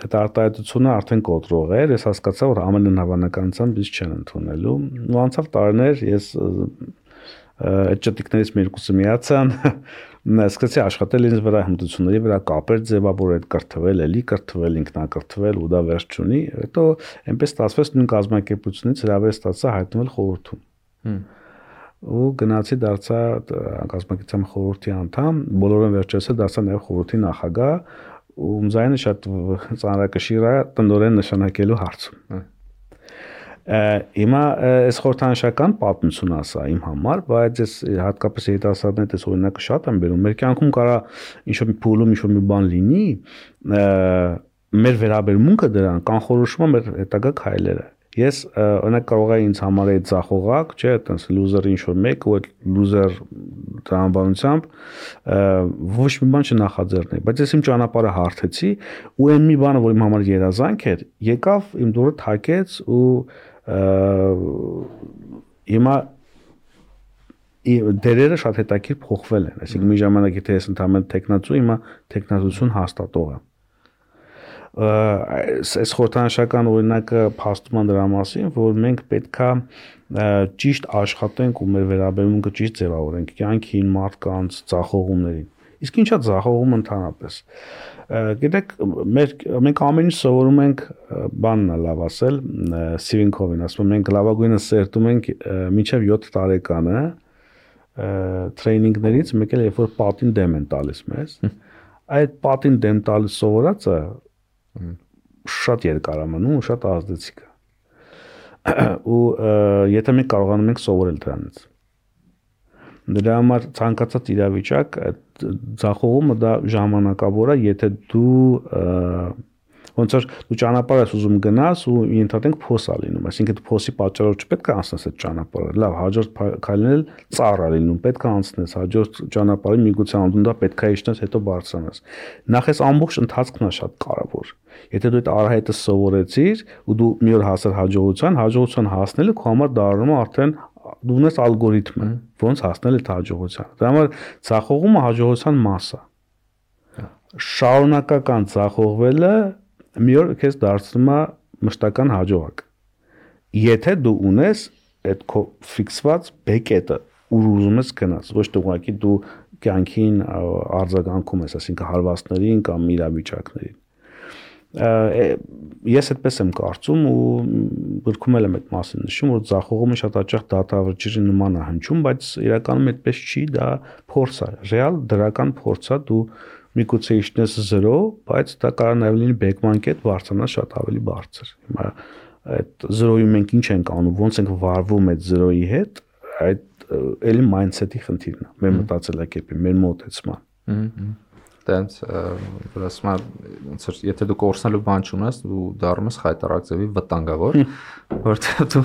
Այդ արտահայտությունը արդեն կոտրող էր, ես հասկացա, որ ամեն հավանականությամբ ինձ չեն ընդունելու։ Ու անցավ տարիներ, ես այդ ճտիկներից մեկուսը միացան, սկսեցի աշխատել ինձ վրա հմտությունների վրա կապեր ձևավորել, կրթվել, էլի կրթվել, ինքնակրթվել ու դա վերջ չունի։ Հետո այնպես ստացվեց նույն կազմակերպությունից հրավեր ստացա հայտնվել խորհրդում։ Ու գնացի դարձա կազմակերպության խորհրդի անդամ, բոլորը վերջերս դարձա նաև խորհրդի նախագահ ու ձայնը շատ ծանրակշիռ է տնօրեն նշանակելու հարցում։ Հիմա այս խորհրդանշական պատմություն ասա իմ համար, բայց ես հատկապես երիտասարդների այս օրինակը շատ եմ բերում։ Մեր կյանքում կարա ինչ-որ մի փուլում ինչ-որ մի բան լինի, մեր վերաբերմունքը դրան կանխորոշում է մեր հետագա քայլերը։ Ես օրինակ կարող եմ ինձ համարել ծախողակ, չէ, այտենց լուզեր ինչ-որ մեկ ու այդ լուզեր տրամաբանությամբ ոչ մի բան չնախաձեռնեի, բայց ես իմ ճանապարհը հարթեցի ու այն մի բանը, որ իմ համար երազանք էր, եկավ իմ դուրը թակեց ու հիմա դերերը շատ հետաքրքիր փոխվել են, այսինքն մի ժամանակ եթե ես ընդհանրապես տեխնացու, հիմա տեխնացություն հաստատող եմ։ Այս խորհրդանշական օրինակը փաստում է դրա մասին, որ մենք պետքա ճիշտ աշխատենք ու մեր վերաբերմունքը ճիշտ ձևավորենք կյանքին, մարդկանց, ծախողումներին։ Իսկ ինչա ծախողում ընդհանրապես։ Գիտեք, մենք ամեն ինչ սովորում ենք բանն է լավ ասել, Սթիվեն Քովին ասում է, մենք լավագույնը սերտում ենք մինչև 7 տարեկանը տրեյնինգներից, մեկ էլ երբ որ պատին դեմ են տալիս մեզ, այդ պատին դեմ տալիս սովորածը շատ երկար է մնում ու շատ ազդեցիկ է։ Ու եթե մենք կարողանում ենք սովորել դրանից։ Դրա համար ցանկացած իրավիճակ ձախողումը դա ժամանակավոր է, եթե դու ոնց որ դու ճանապարհ ես ուզում գնաս ու ընդհանրենք փոս է լինում, այսինքն դու փոսի պատճառով չպետք է անցնես այդ ճանապարհը, լավ, հաջորդ քայլն էլ ծառ է լինում, պետք է անցնես, հաջորդ ճանապարհի միգուցե անդուն դա պետք է իջնես, հետո բարձրանաս։ Նախ այս ամբողջ ընթացքն է շատ կարևոր։ Եթե դու այդ արահետը սովորեցիր ու դու մի օր հասար հաջողության հասնելը քո համար դառնում է արդեն դու ունես ալգորիթմը, ոնց հասնել այդ հաջողության։ Դրա համար ցախողումը հաջողության մաս է։ Շարունակական ցախողվելը մի օր քեզ դարձնում է մշտական հաջողակ։ Եթե դու ունես այդ քո ֆիքսված բեկետը, ուր ուզում ես գնաս, ոչ թե ուղղակի դու կյանքին արձագանքում ես, այսինքն հարվածներին կամ իրավիճակներին։ Ես այդպես եմ կարծում ու գրքում եմ այդ մասին նշում, որ ձախողումը շատ հաճախ դատավճիռի նման է հնչում, բայց իրականում այդպես չի, դա փորձ է, ռեալ դրական փորձ է, դու միգուցե իջնես 0, բայց դա կարող նաև լինի բեկման կետ բարձրանալ շատ ավելի բարձր։ Հիմա այդ 0-ի մենք ինչ ենք անում, ոնց ենք վարվում այդ 0-ի հետ, այդ էլի mindset-ի խնդիրն է, մեր մտածելակերպի, մեր մոտեցման։ Տենց որ ասում եմ, ոնց որ եթե դու կորցնելու բան չունես, դու դառնում ես խայտարակ ձևի վտանգավոր, որտեղ դու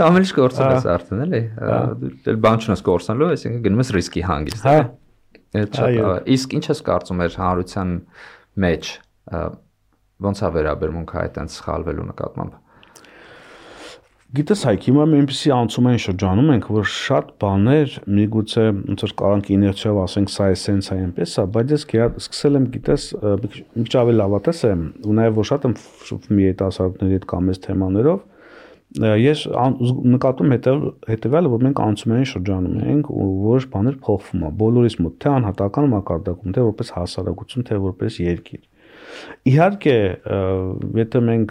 ամեն ինչ կորցնում ես արդեն, էլի։ Դու բան չունես կորցնելու, այսինքն գնում ես ռիսկի հանգիստ։ Իսկ ինչ ես կարծում ես հանրության մեջ ոնց է վերաբերմունքը այդտենց սխալվելու նկատմամբ։ Գիտես Հայկ, հիմա մենք այնպեսի անցումային շրջանում ենք, որ շատ բաներ միգուցե ոնց որ կարանք իներցիայով ասենք սա է սենց է այնպես է, բայց ես սկսել եմ գիտես մի քիչ ավելի լավատես եմ ու նաև որ շատ եմ շփվում երիտասարդների հետ կամ այս թեմաներով, ես նկատում հետևյալը, որ մենք անցումային շրջանում ենք ու որոշ բաներ փոխվում է բոլորիս մոտ, թե անհատական մակարդակում, թե որպես հասարակություն, թե որպես երկիր։ Իհարկե, եթե մենք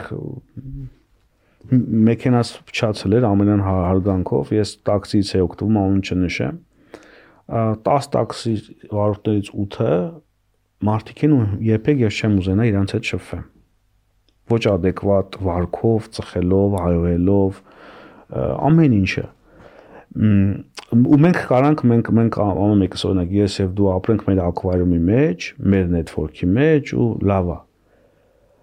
մեքենաս փչացել էր ամենան հարգանքով, ես տաքսիից էի օգտվում, անուն չնշեմ, 10 տաքսի վարորդներից 8-ը մարդիկ են ու երբեք ես չեմ ուզենա իրանց հետ շփվեմ։ Ոչ adekvat վարքով, ծխելով, հայոյելով, ամեն ինչը։ Ու մենք կարանք մենք ամեն մեկս օրինակ ես եւ դու ապրենք մեր ակվարիումի մեջ, մեր նետվորքի մեջ ու լավ է։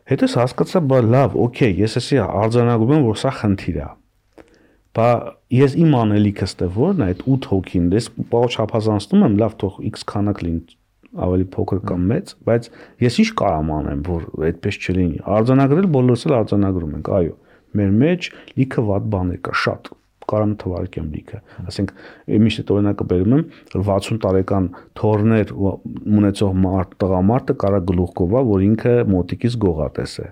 Հետո հասկացա, բա լավ, օքեյ, ես էսի արձանագրում եմ, որ սա խնդիր է։ Բա ես իմ անելիքս թե որն է, այդ 8 հոգին, ես բաղ չափազանցնում եմ, լավ, թող X քանակ լինի, ավելի փոքր կամ մեծ, բայց ես ինչ կարամ անեմ, որ այդպես չլինի։ Արձանագրել բոլորս էլ արձանագրում ենք, այո, մեր մեջ լիքը վատ բաներ կա, շատ կարամ թվարկեմ լիքը, ասենք միշտ այդ օրինակը բերում եմ 60 տարեկան թորներ ունեցող տղամարդը կարա գլուխ գովա, որ ինքը մոտիկից գողատես է։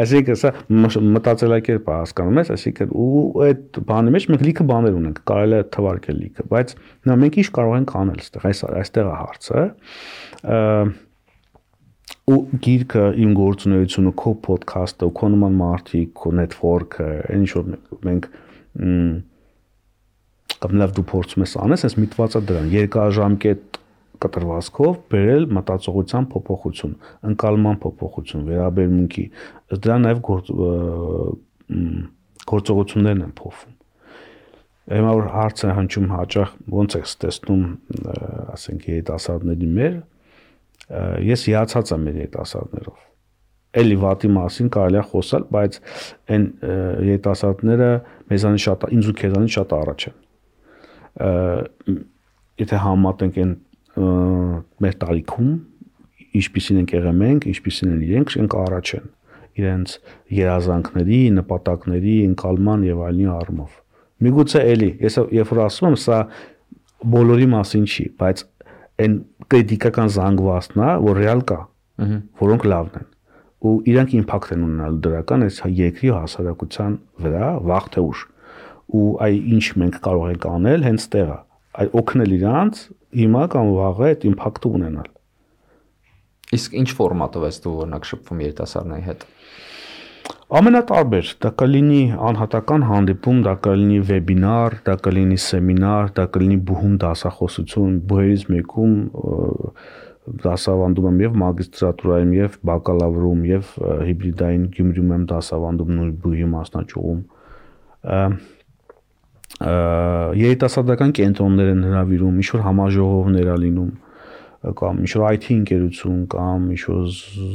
Այսինքն սա մտածելակերպ է, հասկանում ես, այսինքն ու այդ բանի մեջ մենք լիքը բաներ ունենք, կարելի է թվարկել լիքը, բայց նա մենք ինչ կարող ենք անել այստեղ է հարցը։ Ու գիրքը իմ գործունեությունը, քո ոդքասթը, քո նման մարդիկ, քո նետվորքը, ինչ որ մենք կամ լավ դու փորձում ես անես, ես միտվածա դրան երկարաժամկետ կտրվածքով բերել մտածողության փոփոխություն, ընկալման փոփոխություն, վերաբերմունքի, դրա նաև գործողություններն են փոխվում։ Հիմա որ հարց է հնչում հաճախ ոնց է տեսնում, ասենք երիտասարդների մեր ես հիացած եմ մեր երիտասարդներով։ Էլի վատի մասին կարելի է խոսալ, բայց այն երիտասարդները մեզանից շատ, ինձ ու քեզանից շատ առաջ են։ Եթե համատենք այն մեր տարիքում, ինչպիսին ենք եղել մենք, ինչպիսին են իրենք, ենք առաջ են իրենց երազանքների, նպատակների, ընկալման եւ այլնի առումով։ Միգուցե էլի, ես երբ որ ասում եմ, սա բոլորի մասին չի, բայց այն կրիտիկական զանգվածն է, որ ռեալ կա, որոնք լավն են։ Ու իրանք իմպակտ են ունենալու դրական այս երկրի հասարակության վրա վաղ թե ուշ։ Ու այ ինչ մենք կարող ենք անել հենց տեղը, այ օգնել իրանց հիմա կամ վաղը այդ իմպակտը ունենալ։ Իսկ ինչ ֆորմատով ես դու օրինակ շփվում երիտասարդների հետ։ Ամենատարբեր, դա կլինի անհատական հանդիպում, դա կլինի վեբինար, դա կլինի սեմինար, դա կլինի բուհում դասախոսություն, բուհերից մեկում դասավանդում եմ եւ մագիստրատուրայում եւ բակալավրում եւ հիբրիդային Գյումրիում եմ դասավանդում նույն բուհի մասնաճյուղում։ Երիտասարդական կենտրոններ են հրավիրում, ինչ որ համաժողովներ ա լինում կամ ինչ որ IT ընկերություն կամ ինչ որ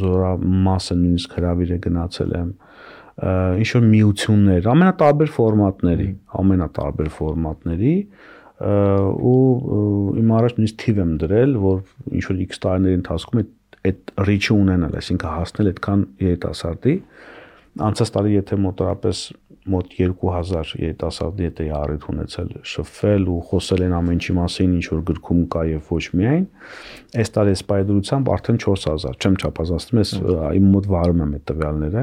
զորամասը նույնիսկ հրավիր է գնացել եմ, ինչ որ միություններ, ամենատարբեր ֆորմատների ու իմ առաջ նույնիսկ թիվ եմ դրել, որ ինչ որ X տարիների ընթացքում այդ reach-ը ունենալ, այսինքն հասնել այդքան երիտասարդի։ Անցած տարի եթե մոտավորապես մոտ 2000 երիտասարդի հետ էի առիթ ունեցել շփվել ու խոսել են ամեն ինչի մասին, ինչ որ գրքում կա եւ ոչ միայն։ Այս տարի սպայդրությամբ արդեն 4000, չեմ չափազանցնում, ես իմ մոտ վարում եմ այդ տվյալները։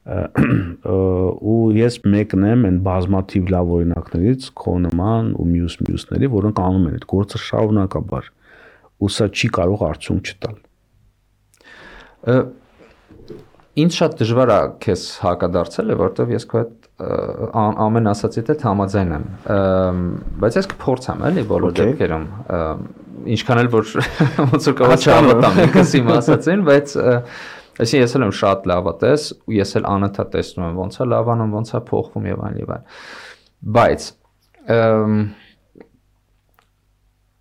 Ու ես մեկն եմ այն բազմաթիվ լավ օրինակներից քո նման ու մյուսների, որոնք անում են այդ գործը շարունակաբար։ Ու սա չի կարող արդյունք չտալ։ Ինձ շատ դժվար է քեզ հակադարձել, որովհետև ես քո հետ ամեն ասացիդ հետ համաձայն եմ, բայց ես կփորձեմ էլի բոլոր դեպքերում, ինչքան էլ որ ոնց որ կարող չհավատամ ինքս իմ ասացին, բայց այսինքն ես էլ եմ շատ լավատես ու ես էլ անընդհատ տեսնում եմ ոնց է լավանում, ոնց է փոխվում եւ այլն եւ այլն, բայց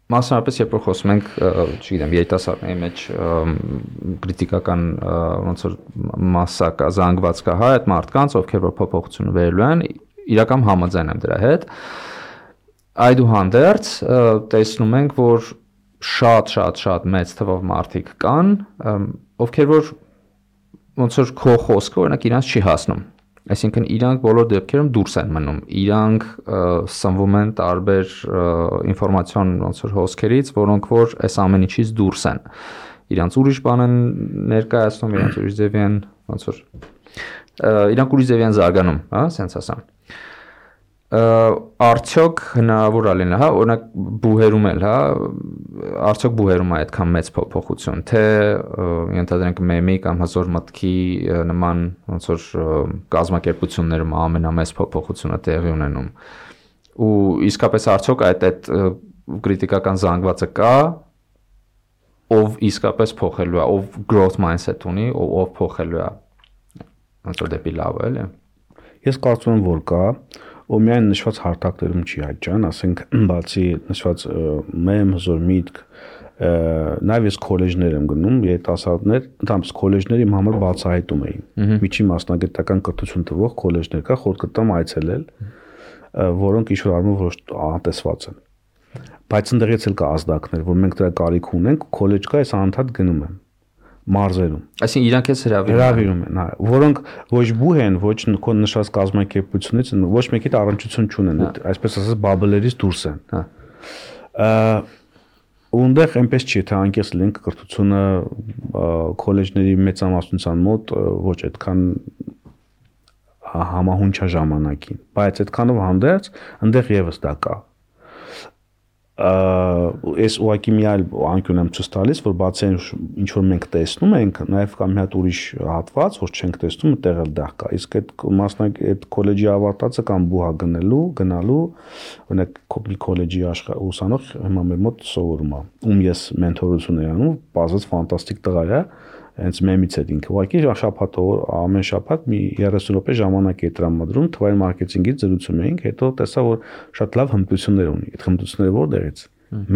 մասնավորապես երբ որ խոսում ենք, չգիտեմ, երիտասարդների մեջ քրիտիկական ոնց որ մասսա կա, զանգված կա, հա, այդ մարդկանց, ովքեր որ փոփոխություն վերելու են, իրական համաձայն եմ դրա հետ։ Այդուհանդերձ տեսնում ենք, որ շատ մեծ թվով մարդիկ կան, ովքեր որ ոնց որ քո խոսքը օրինակ իրանց չի հասնում։ Այսինքն իրանք բոլոր դեպքերում դուրս են մնում, իրանք սնվում են տարբեր ինֆորմացիոն ոնց որ հոսքերից, որոնք որ այս ամեն ինչից դուրս են։ Իրանք ուրիշ բան են ներկայացնում, իրանք ուրիշ ձևի են ոնց որ իրանք ուրիշ ձևի են զարգանում, հա, ասենց ասեմ։ Արդյոք հնարավոր է լինել, հա, օրինակ բուհերում էլ, հա, արդյոք բուհերում է այդքան մեծ փոփոխություն, թե ենթադրենք մեմի կամ հզոր մտքի նման ոնց որ կազմակերպություններում ամենամեծ փոփոխությունը տեղի ունենում։ Ու իսկապես արդյոք այդ քրիտիկական զանգվածը կա, ով իսկապես փոխելու է, ով growth mindset ունի, ով փոխելու է ոնց որ դեպի լավ, էլի։ Ես կարծում եմ, որ կա, ու միայն նշված հարթակներում չի այդքան, ասենք բացի նշված մեմ հզոր միտք, նաև ես քոլեջներ եմ գնում, երիտասարդներ, ընդհանրապես քոլեջները իմ համար բացահայտում էին։ Միջին մասնագիտական կրթություն տվող քոլեջներ կա, խորտ կտամ այցելել, որոնք ինչ-որ առումով ոչ անտեսված են։ Բայց ընդդեղից էլ կա ազդակներ, որ մենք դրա կարիք ունենք, քոլեջ կա, ես անընդհատ գնում եմ մարզերում։ Այսինքն իրանք էս հրավիրում են, հա, որոնք ոչ բուհ են, ոչ քո նշած կազմակերպությունից, ոչ մեկի առնչություն չունեն, այսպես ասած բաբլերից դուրս են։ Հա։ Ունդեղ այնպես չի, թե անկես լինենք կրթությունը քոլեջների մեծամասնության մոտ ոչ այդքան համահունչ ժամանակին, բայց այդքանով հանդերձ ընդեղ եւս դա կա։ Ես ուղղակի մի այլ անկյուն եմ ցույց տալիս, որ բացի ինչ որ մենք տեսնում ենք, նաև կա մի հատ ուրիշ հատված, որ չենք տեսնում, այդտեղ էլ դա կա։ Իսկ այդ մասնագետ քոլեջի ավարտածը կամ բուհա գնալու, օրինակ մի քոլեջի ուսանող հիմա մեր մոտ սովորում է, ում ես մենթորություն եմ անում, բազած ֆանտաստիկ տղա է, հենց մեմից է ինքը։ Ուղղակի ամեն շաբաթ մի 30 րոպե ժամանակ է տրամադրում, թվային մարքեթինգից զրուցում էինք, հետո տեսա, որ շատ լավ հմտություններ ունի։ Այդ հմտությունները որտեղից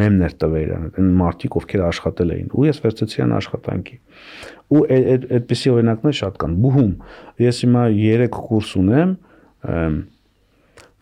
մեմներ տվել իրան, այն մարդիկ, ովքեր աշխատել էին, ու ես վերցրեցի այն աշխատանքի։ Ու այդպիսի օրինակներ շատ կան։ Բուհում ես հիմա 3 կուրս ունեմ,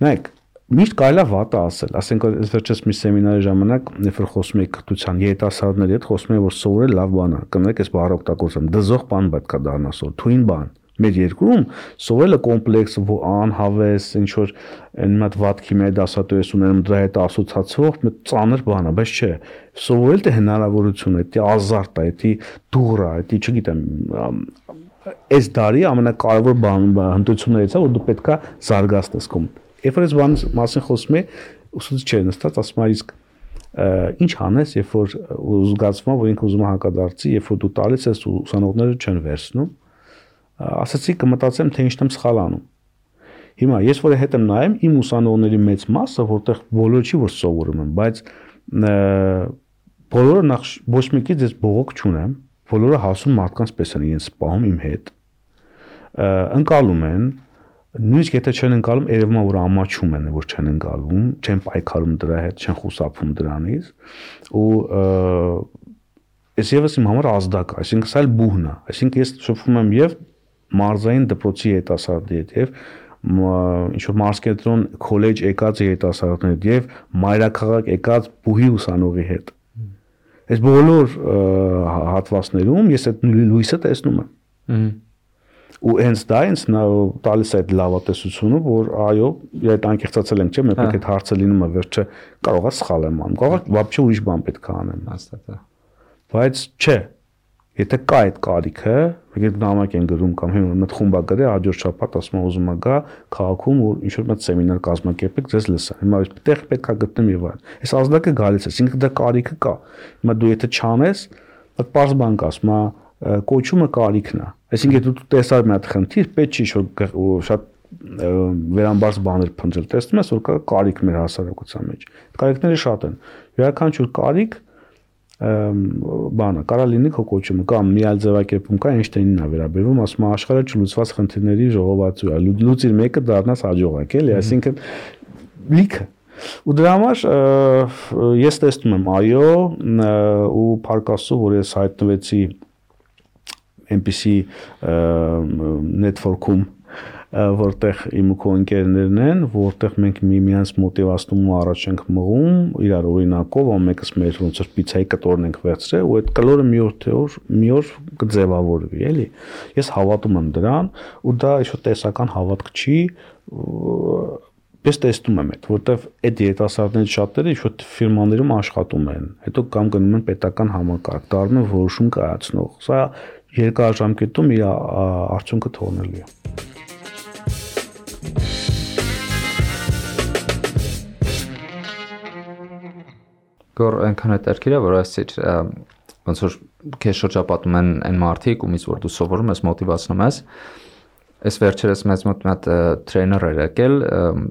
նայեք, միշտ կարելի է վատը ասել, ասենք ես վերջերս մի սեմինարի ժամանակ, երբ որ խոսում էի կրթության երիտասարդների հետ, խոսում էի, որ սովորել լավ բան է, կներեք ես բառը օգտագործեմ, դզող բան պետք է դառնա սովոր, թույն բան։ Մեր երկրում սովորելը կոմպլեքս, անհավես, ինչ որ այն մի հատ վատ քիմիայի դասատու ես ունենում, դրա հետ ասոցացվող մի ծանր բան է, բայց չէ, սովորել դե հնարավորություն է, դե ազարտ է, դե դուր է, դե չգիտեմ, այս դարի ամենակարևոր հմտություններից է, որ դու պետք է զարգացնես կոմ։ Երբ որ այս բանի մասին խոսում է, ուսուցիչ չէ նստած, ասում է իսկ ինչ անես, երբ որ զգացվում է, որ ինքը ուզում է հակադարձի, երբ որ դու տալիս ես ու ուսանողները չեն վերցնում, ասացի կմտածեմ, թե ինչն եմ սխալ անում։ Հիմա ես որ հետ եմ նայում, իմ ուսանողների մեծ մասը, որտեղ բոլորը չի որ սովորում են, բայց բոլորը նախ ոչ մեկից ես բողոք չունեմ, բոլորը հասուն մարդկանց պես են իրենց սպահում իմ հետ, ընկալում են, նույնիսկ եթե չեն ընկալում, երևում է որ ամաչում են, որ չեն ընկալում, չեն պայքարում դրա հետ, չեն խուսափում դրանից, ու ես եւս իմ համար ազդակ է, այսինքն սա էլ բուհն է, այսինքն ես շփվում եմ եւ մարզային դպրոցի երիտասարդների հետ եւ ինչ որ մարզկենտրոն քոլեջ եկած երիտասարդների հետ եւ մայրաքաղաք եկած բուհի ուսանողի հետ։ Այս բոլոր հատվածներում ես այդ լույսը տեսնում եմ։ ու հենց դա ինձ տալիս է այդ լավատեսությունը, որ այո, այդ անկեղծացել ենք, չէ՞, մենք պետք է հարցը լինում է վերջը կարող է սխալ եմ անում, կարող է вообще ուրիշ բան պետք է անեմ, հաստատ է։ բայց չէ, եթե կա այդ կարիքը, եկեք նամակ են գրում կամ հիմա մտ խումբ է գրի, հաջորդ շաբաթ ասում ուզում է գա քաղաքում ու ինչ որ մեծ սեմինար կազմակերպեք, ձեզ լսա։ Հիմա այդտեղ պետք է գտնեմ եւ այլն։ Այս ազդակը գալիս է, ինքը դա կարիքը կա։ Հիմա դու եթե չանես, այդ պարզ բան կասում, կոչումը կարիքն է։ Այսինքն դու տեսար մի հատ խնդիր, պետք չի որ շատ վերամբարձ բաներ փնջել, տեսնում ես որ կա կարիք մեր հասարակության մեջ։ Կարիքները շատ են։ Յուրաքանչյուր կարիք բանը կարա լինի քո կոչումը կամ մի այլ ձևակերպում կա Էյնշտեյնին է վերաբերվում, ասում է աշխարհը չլուծված խնդիրների ժողովածու է, լուծիր մեկը դառնաս հաջողակ, էլի, այսինքն լիքը։ Ու դրա համար ես տեսնում եմ, այո, ու փառք Աստծո, որ ես հայտնվեցի այնպիսի network-ում, որտեղ իմ ու քո ընկերներն են, որտեղ մենք միմյանց մոտիվացնում ու առաջ ենք մղում, իրար օրինակով, ամենքս մեր ոնց որ պիցայի կտորն ենք վերցրել, ու այդ կլորը մի օր կձևավորվի, էլի։ Ես հավատում եմ դրան, ու դա ինչ-որ տեսական հավատք չի, ես տեսնում եմ այդ, որտեղ այդ երիտասարդներից շատերը ինչ-որ ֆիրմաներում աշխատում են, հետո կամ գնում են պետական համակարգ, դառնում են որոշում կայացնող։ Սա երկարաժամկետում իր արդյունքը թողնելու է։ Գոր այնքան հետաքրքիր է, որ ասեցիր ոնց որ քեզ շրջապատում են այն մարդիկ, ումից որ դու սովորում ես, մոտիվացնում ես։ Այս վերջերս մեծ մոտ մի հատ տրեյներ էր եկել,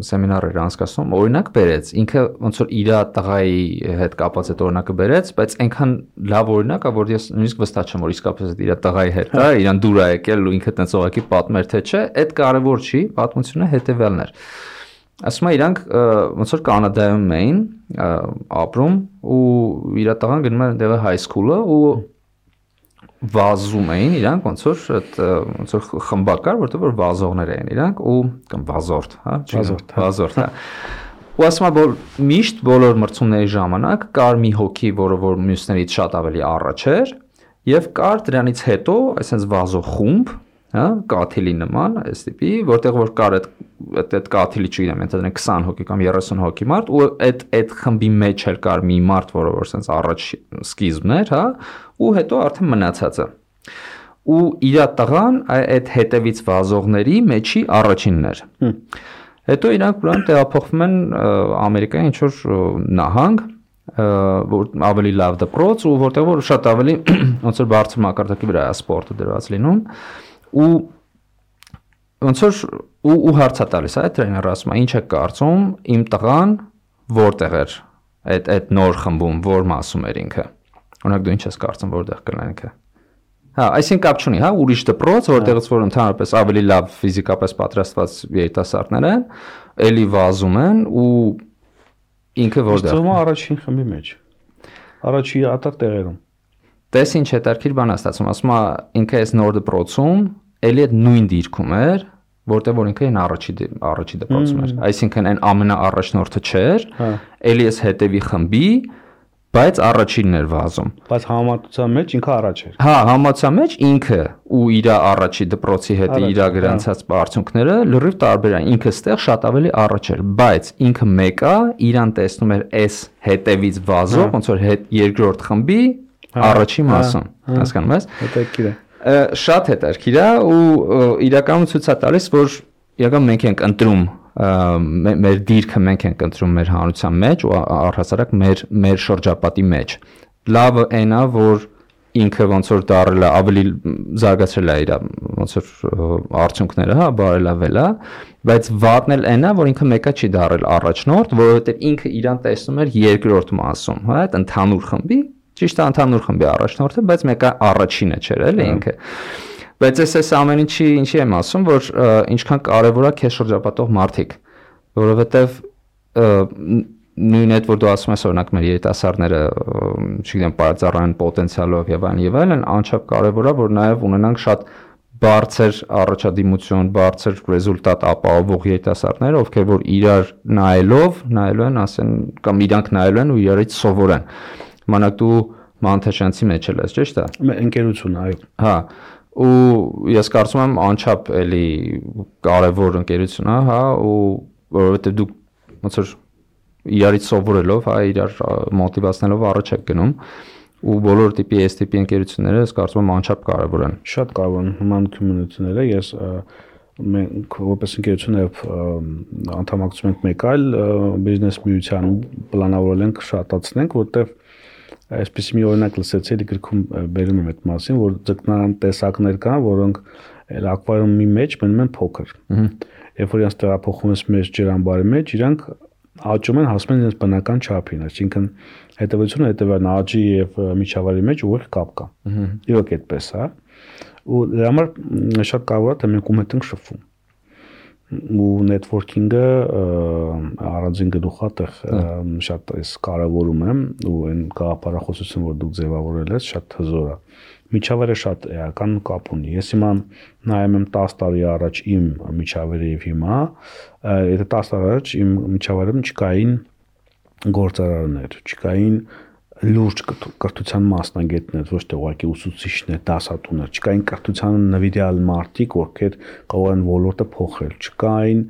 սեմինար էր անցկացնում, օրինակ բերեց, ինքը ոնց որ իր տղայի հետ կապած այդ օրինակը բերեց, բայց այնքան լավ օրինակ է, որ ես նույնիսկ վստահ չեմ, որ իսկապես իր տղայի հետ է, իրան դուր է եկել ու ինքը տենց ուղղակի պատմեր թե չէ, այդ կարևոր չի, պատմությունը հետևյալն էր։ Ասում է իրանք ոնց որ Կանադայում էին ապրում ու իր տղան գնում էր այնտեղ high school-ը ու վազում էին իրանք ոնց որ խմբակար, որտեղ որ վազողներ էին իրանք ու կամ վազորդ, հա, վազորդ, հա։ Ու ասում է որ միշտ բոլոր մրցումների ժամանակ կար մի հոգի, որը որ մյուսներից շատ ավելի առաջ էր, եւ կար դրանից հետո այսպես վազող խումբ, հա, կաթիլի նման, այս տիպի, որտեղ որ կար այդ կաթիլի չգիտեմ, ընդհանրեն 20 հոգի կամ 30 հոգի մարդ ու այդ խմբի մեջ էր կար մի մարդ, որը որ sense առաջ սկիզբն էր, հա, ու հետո արդեն մնացածը։ Ու իր տղան այդ հետևից վազողների մեջի առաջինն էր։ Հետո իրանք ուրեմն տեղափոխվում են Ամերիկայի ինչ որ նահանգ, որ ավելի լավ դպրոց ու որտեղ որ շատ ավելի ոնց որ բարձր մակարդակի վրա է սպորտը դրված լինում ու ոնց որ ու հարցա տալիս է տրեյները ասում է ինչ է կարծում իմ տղան որտեղ էր այդ նոր խմբում որ մասում էր ինքը օրինակ դու ինչ ես կարծում որտեղ կլինի ինքը հա այսինքն կապ չունի հա ուրիշ դպրոց որտեղից որ ընդհանրապես ավելի լավ ֆիզիկապես պատրաստված երիտասարդներ են էլի վազում են ու ինքը որտեղ Ո՞ւմ առաջին խմբի մեջ առաջի ատար տեղերում Տես ինչ հետաքրքիր բան է ստացվում ասում է ինքը այս նոր դպրոցում էլի այդ նույն դիրքում էր որտեղ որ ինքը այն առաջի դպրոցում էր այսինքն այն ամենաառաջնորդը չէր էլի էս հետևի խմբի բայց առաջինն էր վազում բայց համատության մեջ ինքը առաջ էր հա համատության մեջ ինքը ու իր առաջի դպրոցի հետ իր գրանցած արդյունքները լրիվ տարբեր են ինքը ստեղ շատ ավելի առաջ էր բայց ինքը մեկը իրան տեսնում էր այս հետևից վազող ոնց որ երկրորդ խմբի առաջի մասում հասկանում ես հետաքրքիր է շատ հետաքրքիր է ու իրականում ցույց է տալիս որ իրական մենք ենք ընտրում մեր դիրքը մենք ենք ընտրում մեր հանրության մեջ ու առհասարակ մեր շրջապատի մեջ լավը այն է որ ինքը ոնց որ դարել է ավելի զարգացրել է իր ոնց որ արդյունքները հա բարելավել է բայց վատն էլ այն է որ ինքը մեկը չի դարել առաջնորդ որովհետև ինքը իրան տեսնում էր երկրորդ մասում հա այդ ընդհանուր խմբի ճիշտ է ընդհանուր խմբի առաջնորդը բայց մեկը առաջինը չէր էլի ինքը բայց այս ամեն ինչի եմ ասում որ ինչքան կարևոր է քեզ շրջապատող մարդիկ որովհետև նույն այդ որ դու ասում ես օրինակ մեր երիտասարդները չգիտեմ պարծառային պոտենցիալով եւ այլն անչափ կարևոր է որ նաեւ ունենանք շատ բարձր առաջադիմություն բարձր ռեզուլտատ ապահովող երիտասարդներ ովքեր որ իրար նայելու են ասեն կամ իրանք նայելու են ու իրարից սովորեն մանակ դու մանթաշանցի մեջ ես ճիշտ է ընկերություն այո հա ու ես կարծում եմ անչափ էլի կարևոր ընկերություն է, հա, ու որովհետեւ դուք ոնց որ իրարից սովորելով, հա, իրար մոտիվացնելով առաջ եք գնում ու բոլոր տիպի այս տիպի ընկերությունները ես կարծում եմ անչափ կարևոր են։ Շատ կարևոր են նման community-ները, ես մենք որպես ընկերություն եւ անդամակցում ենք մեկ այլ բիզնես միության պլանավորել ենք շատացնենք, որտեղ այսպես մի օրինակ լսեցի, էլի գրքում բերում եմ այդ մասին, որ ձկնարան տեսակներ կան, որոնք այլ ակվարիումի մեջ մնում են փոքր։ Երբ որ իրենց տեղափոխում ես մեր ջրամբարի մեջ, իրանք աճում են, հասնում են իրենց բնական չափին, այսինքն հետևությունը հետևան աճի եւ միջավայրի մեջ ուղիղ կապ կա։ Իրոք այդպես է։ Ու դրա համար շատ կարևոր է թե մենք ում հետ ենք շփվում։ Ու networking-ը առանձին գլուխա տեղ շատ էս կարևորում եմ ու այն գաղափարախոսություն, որ դուք ձևավորել եք, շատ հզոր է։ Միջավայրը շատ էական կապ ունի։ Ես հիմա նայում եմ 10 տարի առաջ իմ միջավայրը եւ հիմա, եթե 10 տարի առաջ իմ միջավայրում չկային գործարարներ, չկային լուրջ կրթության մասնագետներ, ոչ թե ուղղակի ուսուցիչներ, դասատուներ, չկային կրթության նվիրյալ մարդիկ, ովքեր կարող են ոլորտը փոխել, չկային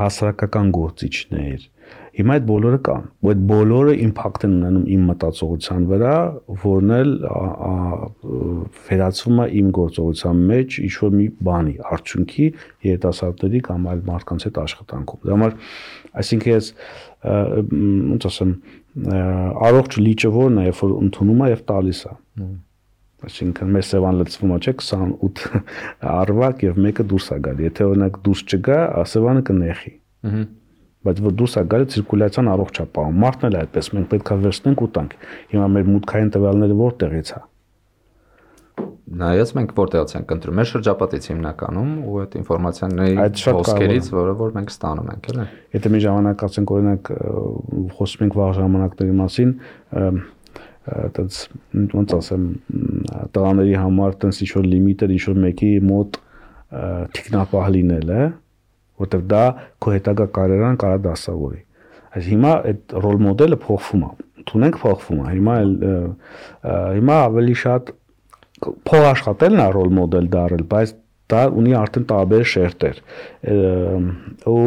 հասարակական գործիչներ։ Հիմա այդ բոլորը կան, ու այդ բոլորը իմպակտ են ունենում իմ մտածողության վրա, որն էլ վերածվում է իմ գործողության մեջ ինչ-որ մի բանի, արդյունքի երիտասարդների կամ այլ մարդկանց հետ աշխատանքում։ Դա համար, այսինքն ես ոնց ասեմ, առողջ լիճը որն է, երբ որ ընդունում է եւ տալիս է։ Այսինքն մեր սևան լցվում է, չէ՞, 28 արվակ եւ մեկը դուրս է գալի։ Եթե օրինակ դուրս չգա, սևանը կնեխի։ Բայց որ դուրս է գալի ցիրկուլյացիան առողջ է պահում։ Մարդն էլ այդպես, մենք պետք է վերցնենք ու տանք։ Հիմա մեր մուտքային տվյալները որտեղից է։ Նայած մենք որտեղից ենք ընտրում, մեր շրջապատից հիմնականում ու այդ ինֆորմացիաների ոսկերից, որ մենք ստանում ենք, էլի։ Եթե մի ժամանակ ասենք օրինակ խոսում ենք վաղ ժամանակների մասին, այդպես ոնց ասեմ, տղաների համար տենց ինչ-որ լիմիտը ինչ-որ մեկի մոտ թիկնապահ լինել է, որտեղ դա քո հետագա կարիերան կարա դասավորի։ Այս հիմա այդ ռոլ մոդելը փոխվում է, ընդունենք փոխվում է։ Հիմա ավելի շատ փող աշխատելն է ռոլ մոդել դարել, բայց դա ունի արդեն տարբեր շերտեր։ Ու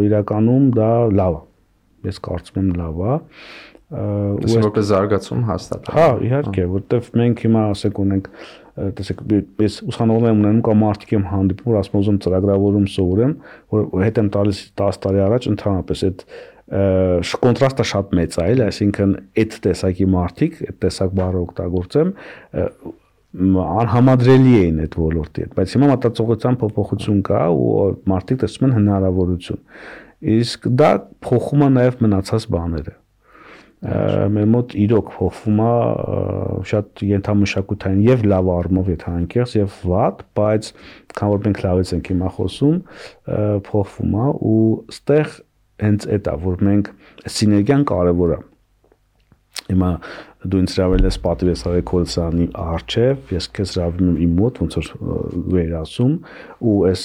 իրականում դա լավ է։ Ես կարծում եմ լավ է։ Ու որպես զարգացում հաստատ։ Հա, իհարկե, որտեվ մենք հիմա ասենք ունենք, տեսեք, ես ուսանողներ եմ ունենում կամ մարդիկ եմ հանդիպում, որ ասում ուզում ծրագրավորում սովորեմ, որ հետ եմ տալիս 10 տարի առաջ ընդհանրապես այդ կոնտրաստը շատ մեծ է, այսինքն այդ տեսակի մարդիկ, այդ տեսակ բառը օգտագործեմ, անհամադրելի էին այդ ոլորտի հետ, բայց հիմա մտածողության փոփոխություն կա ու մարդիկ տեսնում են հնարավորություն։ Իսկ դա փոխում է նաև մնացած բաները։ Մեր մոտ իրոք փոխվում է շատ ենթամշակութային եւ լավ առումով եթե անկեղծ եւ վատ, բայց քան որ մենք լավից ենք հիմա խոսում, փոխվում է ու ստեղ հենց այդ է, որ մենք սիներգիան կարեւոր է։ Հիմա դու ինձ հրավիրել ես պատվես ռեկորդսանի արչև, ես քեզ հրավիրում եմ իմ մոտ, ոնց որ վերասում, ու այս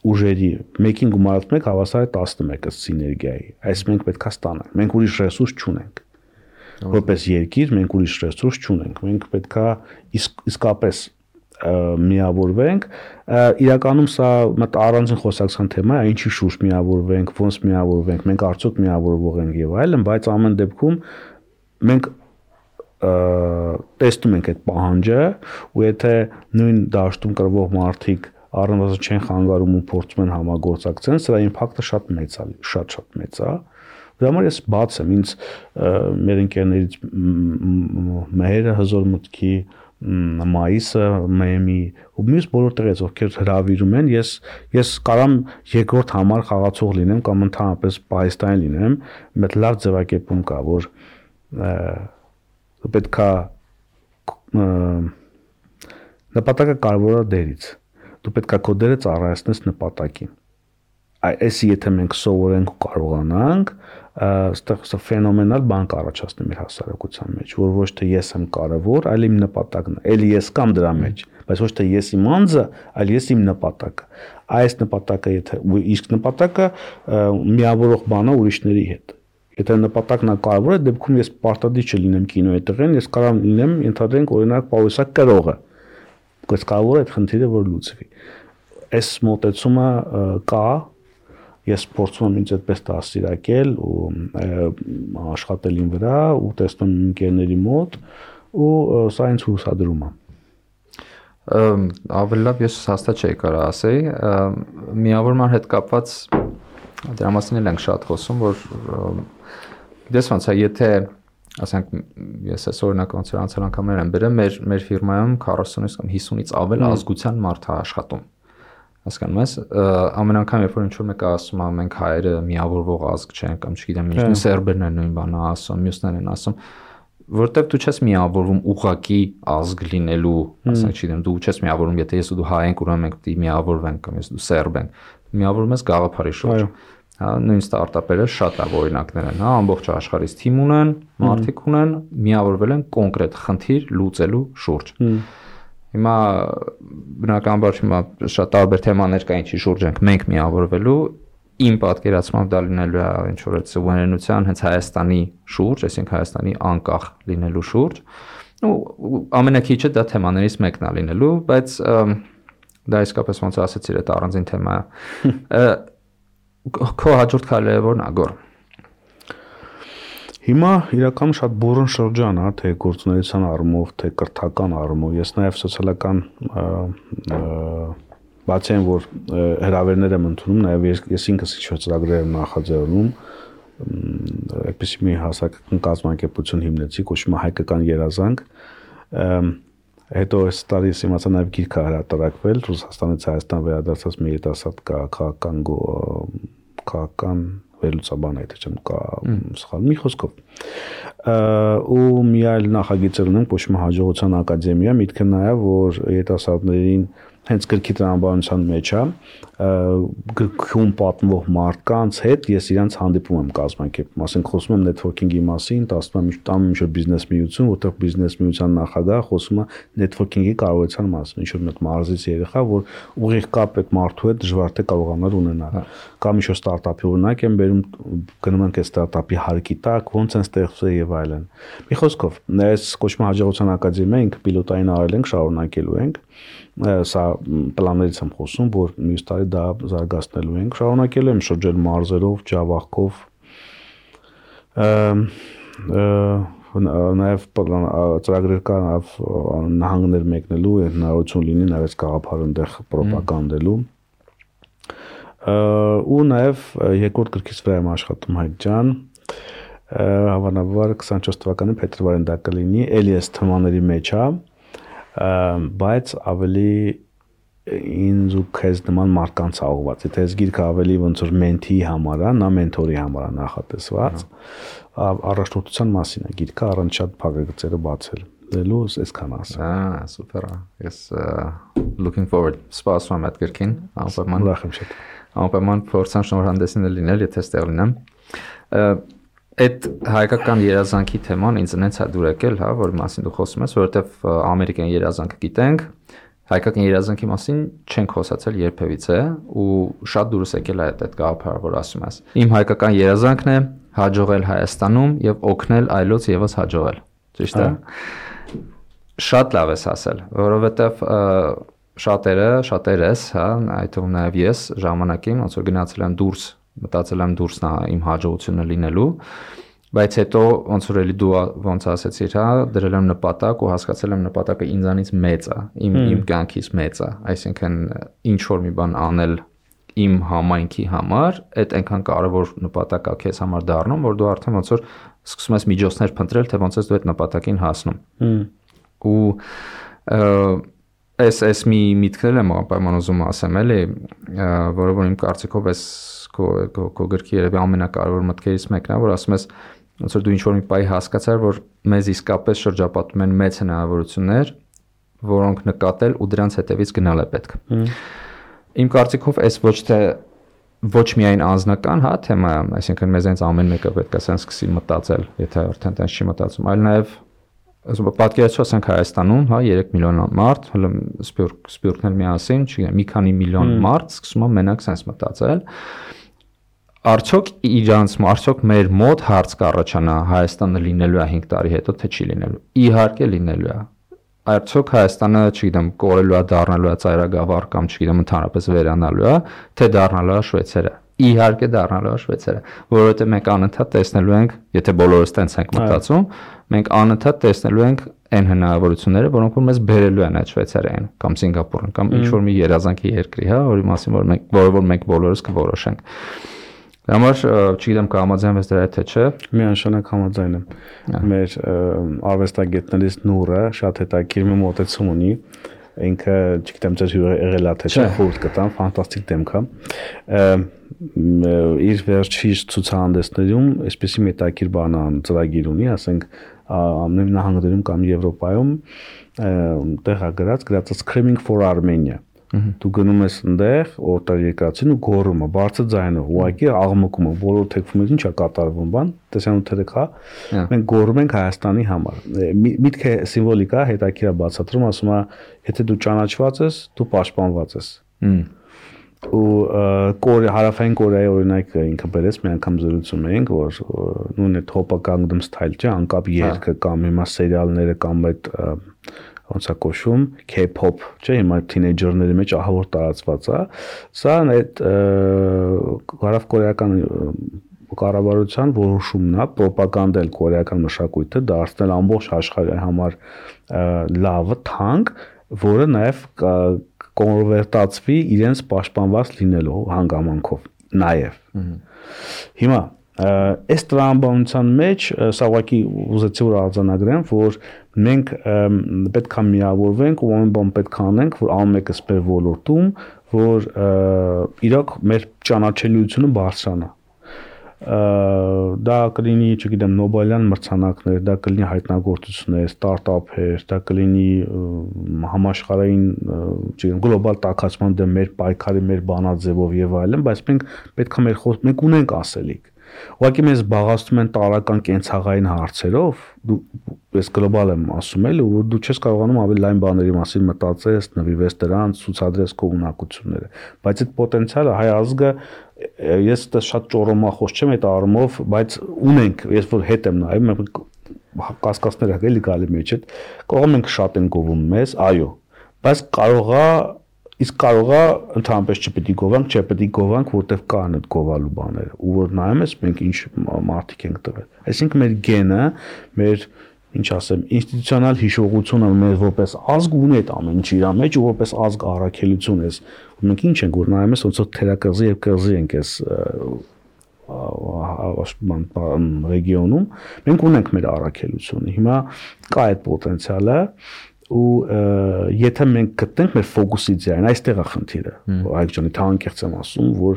ուժերի մեկին գումարած մեկ հավասար է 11-ը սիներգիայի։ Այս մենք պետքա ստանանք։ Մենք ուրիշ ռեսուրս չունենք։ Որպես երկիր մենք ուրիշ ռեսուրս չունենք։ Մենք պետքա իսկապես միավորվենք, իրականում սա մտ առանձին խոսակցական թեմա է, ինչի շուրջ միավորվենք, ոնց միավորվենք, մենք արդյոք միավորվող ենք եւ այլն, բայց ամեն դեպքում մենք տեսնում ենք այդ պահանջը ու եթե նույն դաշտում կրվող մարդիկ առնվազն չեն խանգարում ու փորձում են համագործակցեն, սրա իմպակտը շատ մեծ է, շատ մեծ է։ Դրա համար ես բաց եմ, ինձ մեր ընկերներից Մեհերը հզոր մտքի Մայիսը, Մեմի ու մյուս բոլոր տեղից ովքեր հրավիրում են, ես կարամ երկրորդ համար խաղացող լինեմ կամ ընդհանրապես պահեստային լինեմ, մեծ լավ ձևակերպում կա, որ պետքա նպատակը կարևոր է դերից։ Դու պետքա քո դերը ծառայեցնես նպատակին։ Այսի եթե մենք սովորենք ու կարողանանք, այստեղ ֆենոմենալ բան կառաջացնի մեր հասարակության մեջ, որ ոչ թե ես եմ կարևոր, այլ իմ նպատակն է։ Էլի ես կամ դրա մեջ, բայց ոչ թե ես իմ անձը, այլ ես իմ նպատակը։ Այս նպատակը եթե իսկ նպատակը միավորող բան է ուրիշների հետ։ Եթե նպատակն է կարևոր է, դեպքում ես պարտադիր չլինեմ կինոյի տղեն, ես կարող լինեմ ընդհանրենք օրինակ պարուսակ կրողը։ բայց կարող է այդ խնդիրը որ լուծվի։ Այս մոտեցումը կա, ես փորձում եմ ինձ այդպես դաստիարակել ու աշխատել իմ վրա ու տեսնում ընկերների մոտ ու սա ինձ հուսադրում է։ Ավելի լավ ես հաստատ չէի կարող ասեի, միավորման հետ կապված դրա մասին էլ ենք շատ խոսում, որ դες ոնց է, եթե ասենք ես այս օրինակ ոնց որ անցյալ անգամներ եմ բերել, մեր ֆիրմայում 40-ից կամ 50-ից ավել ազգության մարդ է աշխատում։ Հասկանում ես, ամեն անգամ երբ որ ինչ-որ մեկը ասում է մենք հայերը միավորվող ազգ չենք կամ չգիտեմ ինչ, սերբերն են նույն բանը ասում, մյուսներն են ասում, որտեվ դու չես միավորվում ուղակի ազգ լինելու, ասենք չգիտեմ, դու չես միավորվում, եթե ես ու դու հայ ենք, ուրեմն մենք պետք է միավորվենք կամ ես դու սերբ ենք, միավորվում ես գաղափարի շուրջ։ Հա, նույն ստարտափերը շատ օրինակներ են, հա, ամբողջ աշխարհից թիմ ունեն, մարդիկ ունեն, միավորվել են կոնկրետ խնդիր լուծելու շուրջ։ Հիմա բնականաբար հիմա շատ տարբեր թեմաներ կա ինչի շուրջ ենք մենք միավորվելու, իմ պատկերացմամբ դա լինելու է ինչ որ այդ սուվերենության հենց Հայաստանի շուրջ, այսինքն Հայաստանի անկախ լինելու շուրջ։ Ու ամենակիչը դա թեմաներից մեկն է լինելու, բայց դա իսկապես ոնց ասեցիր, այդ առանձին թեմա է։ Քո հաջորդ քայլերը ո՞րն է, Գոր։ Հիմա իրականում շատ բուրըն շրջան է, թե գործունեության առումով, թե կրթական առումով, ես նաև սոցիալական բացի այն որ հրավերներ եմ ընդունում, նաև ես ինքս ինչ-որ ծրագրեր եմ նախաձեռնում, այդպիսի մի հասարակական կազմակերպություն հիմնեցի, կոչվում է Հայկական երազանք, հետո այս տարի ես իմացա նաև գիրք է հրատարակվել, Ռուսաստանից Հայաստան վերադարձած մի երիտասարդ քաղաքական վերլուծաբան է, թե չեմ սխալ մի խոսքով։ Ու մի այլ նախագիծ ունենք, կոչվում է Հաջողության ակադեմիա, միտքը նա է, որ երիտասարդներին հենց գրքի տրամաբանության մեջ է, գրքում պատմվող մարդկանց հետ ես իրանց հանդիպում եմ կազմակերպում, ասենք խոսում եմ նեթվորքինգի մասին, տանում ինչ-որ բիզնես միություն, որտեղ բիզնես միության նախագահը խոսում է նեթվորքինգի կարողության մասին, ինչ-որ մեկ մարզից երեխա, որ ուղիղ կապ այդ մարդու հետ դժվար թե կարողանալ ունենալ, կամ ինչ-որ ստարտափի օրինակ եմ բերում, գնում ենք այդ ստարտափի հարկի տակ, ոնց են ստեղծվել եւ այլն։ Մի խոսքով, այս կոչվում է Հաջողության ակադեմիա, ինքը պիլոտային արել ենք, շարունակելու ենք, սա պլաններից եմ խոսում, որ մյուս տարի դա զարգացնելու ենք, շարունակելու եմ շրջել մարզերով, ջավախքով, նաև ծրագրեր կա նահանգներ մեկնելու, հնարավորություն լինի նաև գաղափարը այնտեղ պրոպագանդելու, ու նաև երկրորդ գրքից վրա եմ աշխատում Հայկ ջան, հավանաբար 24 թվականի փետրվարին դա կլինի, էլի էս թեմաների մեջ է, բայց ավելի ինձ ու քեզ նման մարդկանց ուղղված, եթե այս գիրքը ավելի ոնց որ մենթիի համար է, նա մենթորի համար է նախատեսված, առաջնորդության մասին է գիրքը, առանց շատ փակագծերը բացելու, այսքան ասեմ։ Սուպեր է։ Ես looking forward, սպասում եմ այդ գրքին, անպայման։ Ուրախ եմ շատ։ Անպայման փորձեմ շնորհանդեսին լինել, եթե ստեղ լինեմ։ Այդ հայկական երազանքի թեման ինձ նենց է դուր եկել, հա, որ մասին դու խոսում ես, որովհետև ամերիկյան երազանքը գիտենք, հայկական երազանքի մասին չենք խոսացել երբևիցե ու շատ դուրս եկել է այդ գաղափարը, որ ասում ես։ Իմ հայկական երազանքն է հաջողել Հայաստանում եւ օգնել այլոց եւս հաջողել։ Ճիշտ է։ Շատ լավ ես ասել, որովհետև շատերս, հա, այդ թվում նաև ես ժամանակին ոնց որ գնացել եմ դուրս, մտածել եմ դուրս իմ հաջողությունը լինելու, բայց հետո ոնց որ էլի դու ոնց ասեցիր, հա, դրել եմ նպատակ ու հասկացել եմ նպատակը ինձանից մեծ է, իմ կյանքից մեծ է, այսինքն ինչ որ մի բան անել իմ համայնքի համար, այդ այնքան կարևոր նպատակ է քեզ համար դառնում, որ դու արդեն ոնց որ սկսում ես միջոցներ փնտրել, թե ոնց ես դու այդ նպատակին հասնում։ Ու այս մի միտքն եմ անպայման ուզում ասեմ, էլի, որը որ իմ կարծիքով էս քո գրքի երևի ամենակարևոր մտքերից մեկն է, որ ասում ես, ոնց որ դու ինչ-որ մի պահի հասկացար, որ մեզ իսկապես շրջապատում են մեծ հնարավորություններ, որոնք նկատել ու դրանց հետևից գնալ է պետք։ Իմ կարծիքով այս ոչ միայն անձնական, հա, թեմա է, այսինքն մեզ այնց ամեն մեկը պետք է ասեն սկսի մտածել, եթե արդեն տենց չի մտածում, այլ նաև պատկերացրու ասենք Հայաստանում, հա, 3 միլիոն մարդ, հələ սպյուրքներ միասին, չգիտեմ, մի քանի միլիոն մարդ սկսում է մենակ sense մտածել։ Արդյոք մեր մոտ հարց կառաջանա Հայաստանը լինելու է 5 տարի հետո, թե չի լինելու։ Իհարկե լինելու է։ արդյոք Հայաստանը, չգիտեմ, կորելու է, դառնալու է ծայրագավառ կամ չգիտեմ, ընդհանրապես վերանալու է, թե դառնալու է Շվեյցարիա։ Իհարկե դառնալու է Շվեյցարիա, որովհետև մենք անընդհատ տեսնելու ենք, եթե բոլորս տենց ենք մտածում, մենք անընդհատ տեսնելու ենք այն հնարավորությունները, որոնք որ մեզ բերելու են այդ Շվեյցարիային կամ Սինգապուրին կամ ինչ-որ մի երազանքի երկրի, հա, որի մասին որ մենք բոլորս կորոշենք։ Դրա համար չգիտեմ կհամաձայնվես դրա հետ թե չէ։ Միանշանակ համաձայն եմ։ Մեր արվեստագետներից Նուրը շատ հետաքրքիր մի մոտեցում ունի։ Ինքը, չգիտեմ, ձեր եղել է թե չէ, խորհուրդ կտամ, ֆանտաստիկ դեմք է։ Իր վերջի ցուցահանդեսներում այսպեսի մետաքիր բանան ծրագիր ունի, ասենք ամեն նահանգներում կամ Եվրոպայում տեղ է գրած Screaming for Armenia։ Դու գնում ես այնտեղ, որտեղ երկրացին ու գոռում է, բարձր ձայնով, ուղղակի աղմկում է, բոլոր թեքվում են, ինչ է կատարվում բան, տեսանյութերը կա։ Մենք գոռում ենք Հայաստանի համար։ Միտքը սիմվոլիկա հետաքրքիր է բացատրում, ասում է, եթե դու ճանաչված ես, դու պաշտպանված ես։ Ու հարավային Կորեայի օրինակը ինքը բերեց, մի անգամ զրուցում էինք, որ նույն այդ Hoppa Gangnam Style չէ, անկապ երգը կամ հիմա սերիալները կամ այդ ոնց է կոչվում K-pop, չէ, հիմա թինեյջերների մեջ ահավոր տարածված է։ Սա այդ հարավկորեական կառավարության որոշումն է ռոպագանդել կորեական մշակույթը, դարձնել ամբողջ աշխարհի համար լավը, թանկ, որը նաև կոնվերտացվի իրենց պաշտպանված լինելու հանգամանքով նաև։ Հիմա այս տրամաբանության մեջ սա ուղղակի ուզեցի որ արձանագրեմ, որ մենք պետք է միավորվենք ու ամեն բան պետք է անենք, որ ամեն մեկս մեր ոլորտում, որ իրոք մեր ճանաչելիությունը բարձրանա։ Դա կլինի, չգիտեմ, Նոբելյան մրցանակներ, դա կլինի հայտնագործություններ, ստարտափեր, դա կլինի համաշխարհային, չգիտեմ, գլոբալ տաքացման դեմ մեր պայքարի, մեր բանաձևով եւ այլն, բայց մենք պետք է մենք ունենք ասելիք։ Ուղղակի մեզ զբաղացնում են տարական կենցաղային հարցերով, ես գլոբալ եմ ասում էլ, որ դու չես կարողանում ավելի լայն բաների մասին մտածես, նվիրվես դրանց, ցուցադրես քո ունակությունները, բայց այդ պոտենցիալը հայ ազգը ես դա շատ ճոռոմախոս չեմ այդ առումով, բայց ունենք, ես որ հետ եմ նայում, մենք կասկածներ էլի գալի մեջ այդ, կարող ենք շատ են գովում մեզ, այո, բայց կարող է ընդհանրապես չպետք է գովանք, չպետք է գովանք, որտեվ կան այդ գովալու բաները, ու որ նայում ես մենք ինչ մարդիկ ենք տվել։ Այսինքն մեր գենը, մեր ինչ ասեմ, ինստիտուցիոնալ հիշողությունը մեր որպես ազգ ունի այդ ամեն ինչի իր մեջ ու որպես ազգ առաքելություն ես։ Ու մենք ինչ ենք որ նայում ես ոնց որ թերակղզի եւ կղզի ենք այս ռեգիոնում, մենք ունենք մեր առաքելությունը։ Հիմա կա այդ պոտենցիալը ու եթե մենք գտնենք մեր ֆոկուսի ձայն, այստեղ է խնդիրը։ Այգ ջանի, թանկերց եմ ասում, որ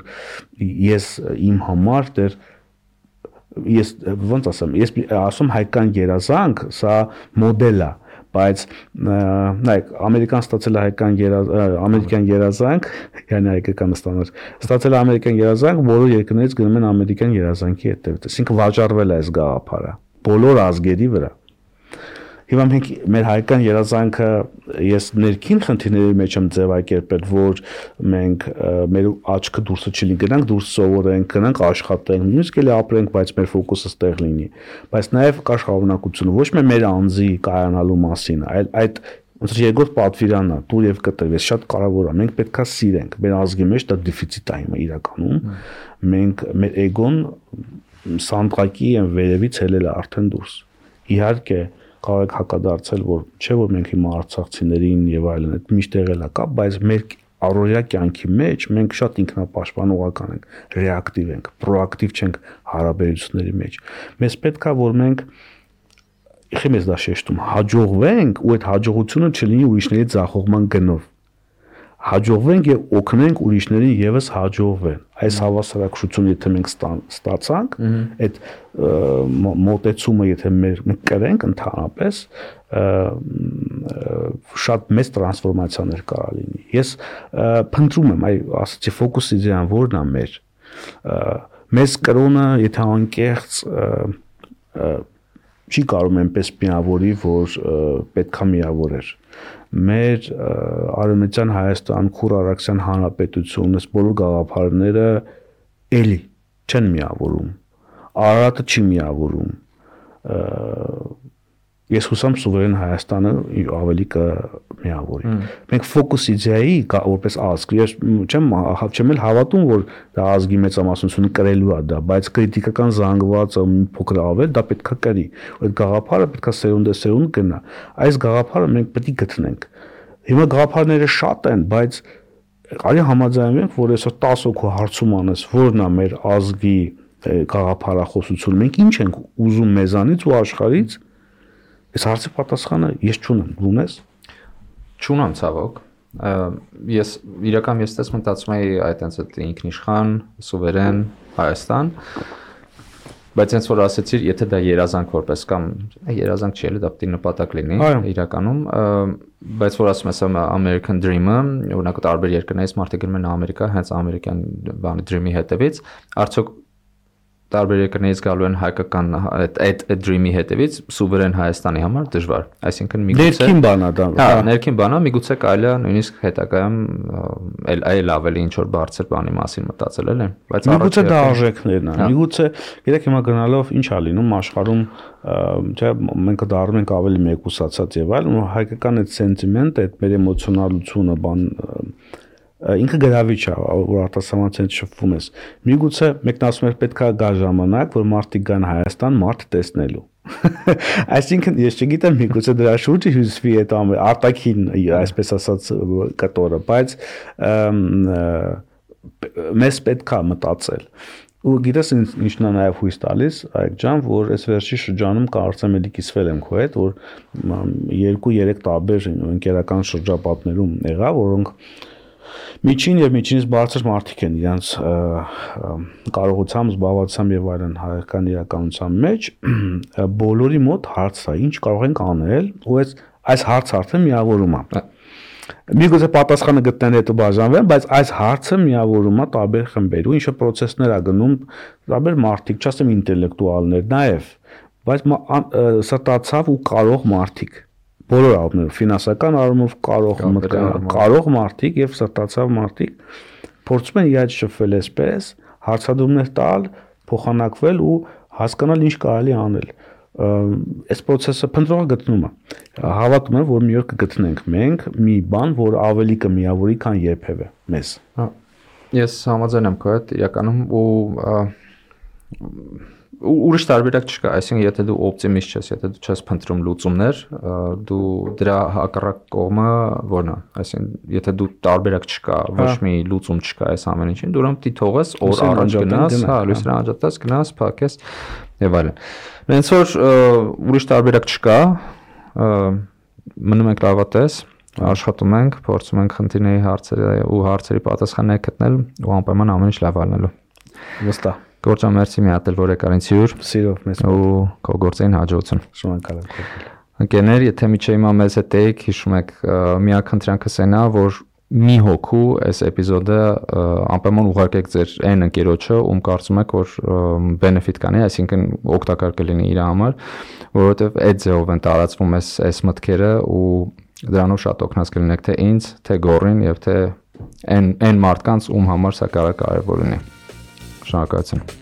ես իմ համար դեռ ես ոնց ասեմ, ես ասում հայկական երազանք, սա մոդել է, բայց նայեք, ամերիկան ստացել է ամերիկյան երազանք, yəni հայկական ստացել է ամերիկյան երազանք, բոլոր երկրներից գնում են ամերիկյան երազանքի հետևից, այսինքն վաճառվել է այս գաղափարը բոլոր ազգերի վրա։ Հիմա մենք մեր հայկական երազանքը ես ներքին խնդիրների մեջ եմ ձևակերպել, որ մենք մեր աչքը դուրսը չլինի, գնանք դուրս սովորենք, գնանք աշխատենք, նույնիսկ էլի ապրենք, բայց մեր ֆոկուսը ստեղ լինի։ Բայց նաև կա շարունակությունը, ոչ մեր անձի կայանալու մասին, այլ այդ ոնց որ երկրորդ պատվիրանն է, դուր եւ կտրվ, ես շատ կարեւոր է, մենք պետքա սիրենք, մեր ազգի մեջ դա դեֆիցիտ է հիմա իրականում, մենք մեր էգոն սանդղակի են վերևից հելել է արդեն դուրս։ Իհարկե կարող եք հակադարձել, որ չէ որ մենք հիմա արցախցիներին եւ այլն այդ միշտ եղել է կա, բայց մեր առօրյա կյանքի մեջ մենք շատ ինքնապաշտպանողական ենք, ռեակտիվ ենք, պրոակտիվ չենք հարաբերությունների մեջ։ Մեզ պետք է որ մենք իշեմ ես դա շեշտում, հաջողվենք ու այդ հաջողությունը չլինի ուրիշների ձախողման գնով։ Հաջողվենք եւ օգնենք ուրիշներին եւս հաջողվեն։ Այս հավասարակշռությունը եթե մենք ստացանք, այդ մոտեցումը եթե մենք կրենք ընդհանրապես շատ մեծ տրանսֆորմացիաներ կարա լինի։ Ես փնտրում եմ, ասացի ֆոկուսի ձյան որն է մեր։ Մեզ կրոնը եթե անկեղծ չի կարող այնպես միավորի, որ պետքա միավորեր։ Մեր Արևմտյան Հայաստան, Քուր Արաքսյան Հանրապետություն, այս բոլոր գաղափարները էլի չեն միավորում։ Արարատը չի միավորում։ ես հուսամ սուվերեն Հայաստանը ավելի կմիավորի։ Մենք ֆոկուս իդեայի որպես ազգ, ես չեմ էլ հավատում, որ դա ազգի մեծամասնությունը կրելու է դա, բայց քրիտիկական զանգվածը մի փոքր ավել, դա պետքա կրի։ Այդ գաղափարը պետքա սերունդեսերունդ գնա։ Այս գաղափարը մենք պետք է գտնենք։ Հիմա գաղափարները շատ են, բայց արի համաձայնենք, որ այսօր 10 հոգու հարցում անես, որն է մեր ազգի գաղափարախոսությունը, մենք ինչ ենք ուզում մեզանից ու աշխարհից։ Այս հարցի պատասխանը ես չունեմ, ունես։ Չունեմ ցավոք։ Ես իրական ես մտածում էի այտենց ինքնիշխան, սուվերեն Հայաստան, բայց հենց որ ասեցիր, եթե դա երազանք որպես կամ երազանք չի, դա պետք է նպատակ լինի իրականում, բայց որ ասում ես American Dream-ը, օրինակ տարբեր երկրներից մարդիկ գնում են Ամերիկա, հենց ամերիկյան բանի Dream-ի հետևից, արդյոք տարբեր երկրներից գալու են հայկական այդ Dream-ի հետևից սուվերեն Հայաստանի համար դժվար, այսինքն միգուցե ներքին բան է դա։ Հա, ներքին բան է, միգուցե կարելի է նույնիսկ հետագայում այլ ավելի ինչ որ բարձր բանի մասին մտածել էլ են, բայց միգուցե դա արժեքներն են, միգուցե գիտեք հիմա գնալով ինչ է լինում աշխարհում, չէ, մենք դառնում ենք ավելի մեկուսացած եւ այլն, ու հայկական այդ սենտիմենտը, այդ մեր էմոցիոնալությունը, բան ինքը գրավիչ է, որ արտասահմանցից շփվում ես։ Միգուցե մեկն ասում է պետքա գա ժամանակ, որ մարդիկ գան Հայաստան մարդ տեսնելու։ Այսինքն ես չգիտեմ միգուցե դրա շուրջը հյուսվի այդ արտաքին, այսպես ասած, կտորը, բայց մեզ պետքա մտածել։ Ու գիտես ինչն է նաև հույս տալիս, Այգ ջան, որ այս վերջի շրջանում կարծեմ էլի կիսվել եմ քո հետ, որ 2-3 տարբեր ընկերական շրջապատներում եղա, որոնք միջին եւ միջինից բարձր մարդիկ են իրենց կարողությամբ, զբաղվածությամբ եւ այլն հայկական իրականության մեջ բոլորի մոտ հարց է, ինչ կարող ենք անել, ու այս հարցը արդեն միավորում է։ Միգուցե պատասխանը գտնեն հետո բաժանվեն, բայց այս հարցը միավորում է տարբեր խմբեր, ու ինչը process-ներ է գնում տարբեր մարդիկ, չասեմ ինտելեկտուալներ նաեւ, բայց ստացավ ու կարող մարդիկ բոլոր առումներով, ֆինանսական առումով կարող մարդիկ եւ սրտացավ մարդիկ փորձում են իրար շփվել այսպես, հարցադրումներ տալ, փոխանակվել ու հասկանալ ինչ կարելի անել։ Այս process-ը փնտրողը գտնում է։ Հավատում եմ, որ մի օր կգտնենք մենք մի բան, որ ավելի կմիավորի, քան երբևէ մեզ։ Ես համաձայն եմ քո հետ, իրականում ու ուրիշ տարբերակ չկա, այսինքն եթե դու օպտիմիստ ես, եթե դու չես փնտրում լուծումներ, դու դրա հակառակ կողմը որն է, այսինքն եթե դու տարբերակ չկա, ոչ մի լուծում չկա այս ամեն ինչին, դու ուրեմն դի թողես, օր առաջ գնաս, հա, լույսը անջատես, գնաս, փակես եւ այլն։ Հենց որ ուրիշ տարբերակ չկա, մնում ենք լավատես, աշխատում ենք, փորձում ենք խնդիրների հարցերի պատասխաններ գտնել ու անպայման ամեն ինչ լավ անելու։ Վստահ։ Գործան մերսի մի հատ էլ որ եկար ինձ հյուր։ Սիրով մեզ։ Ու քո գործին հաջողություն։ Շնորհակալ եմ քո։ Ընկերներ, եթե միջի հիմա մեզ հետ եք, հիշում եք, մի ակնթրանքս այնա, որ մի հոգու այս էպիզոդը անպայման ուղարկեք ձեր այն ընկերոջը, ում կարծում եք, որ benefit կանի, այսինքն օգտակար կլինի իր համար, որովհետև այդ ձևով են տարածվում այս մտքերը ու դրանով շատ օգնած կլինեք թե ինձ, թե Գորին եւ թե այն մարդկանց, ում համար սա կարող կարևոր լինի։ Շնորհակալություն։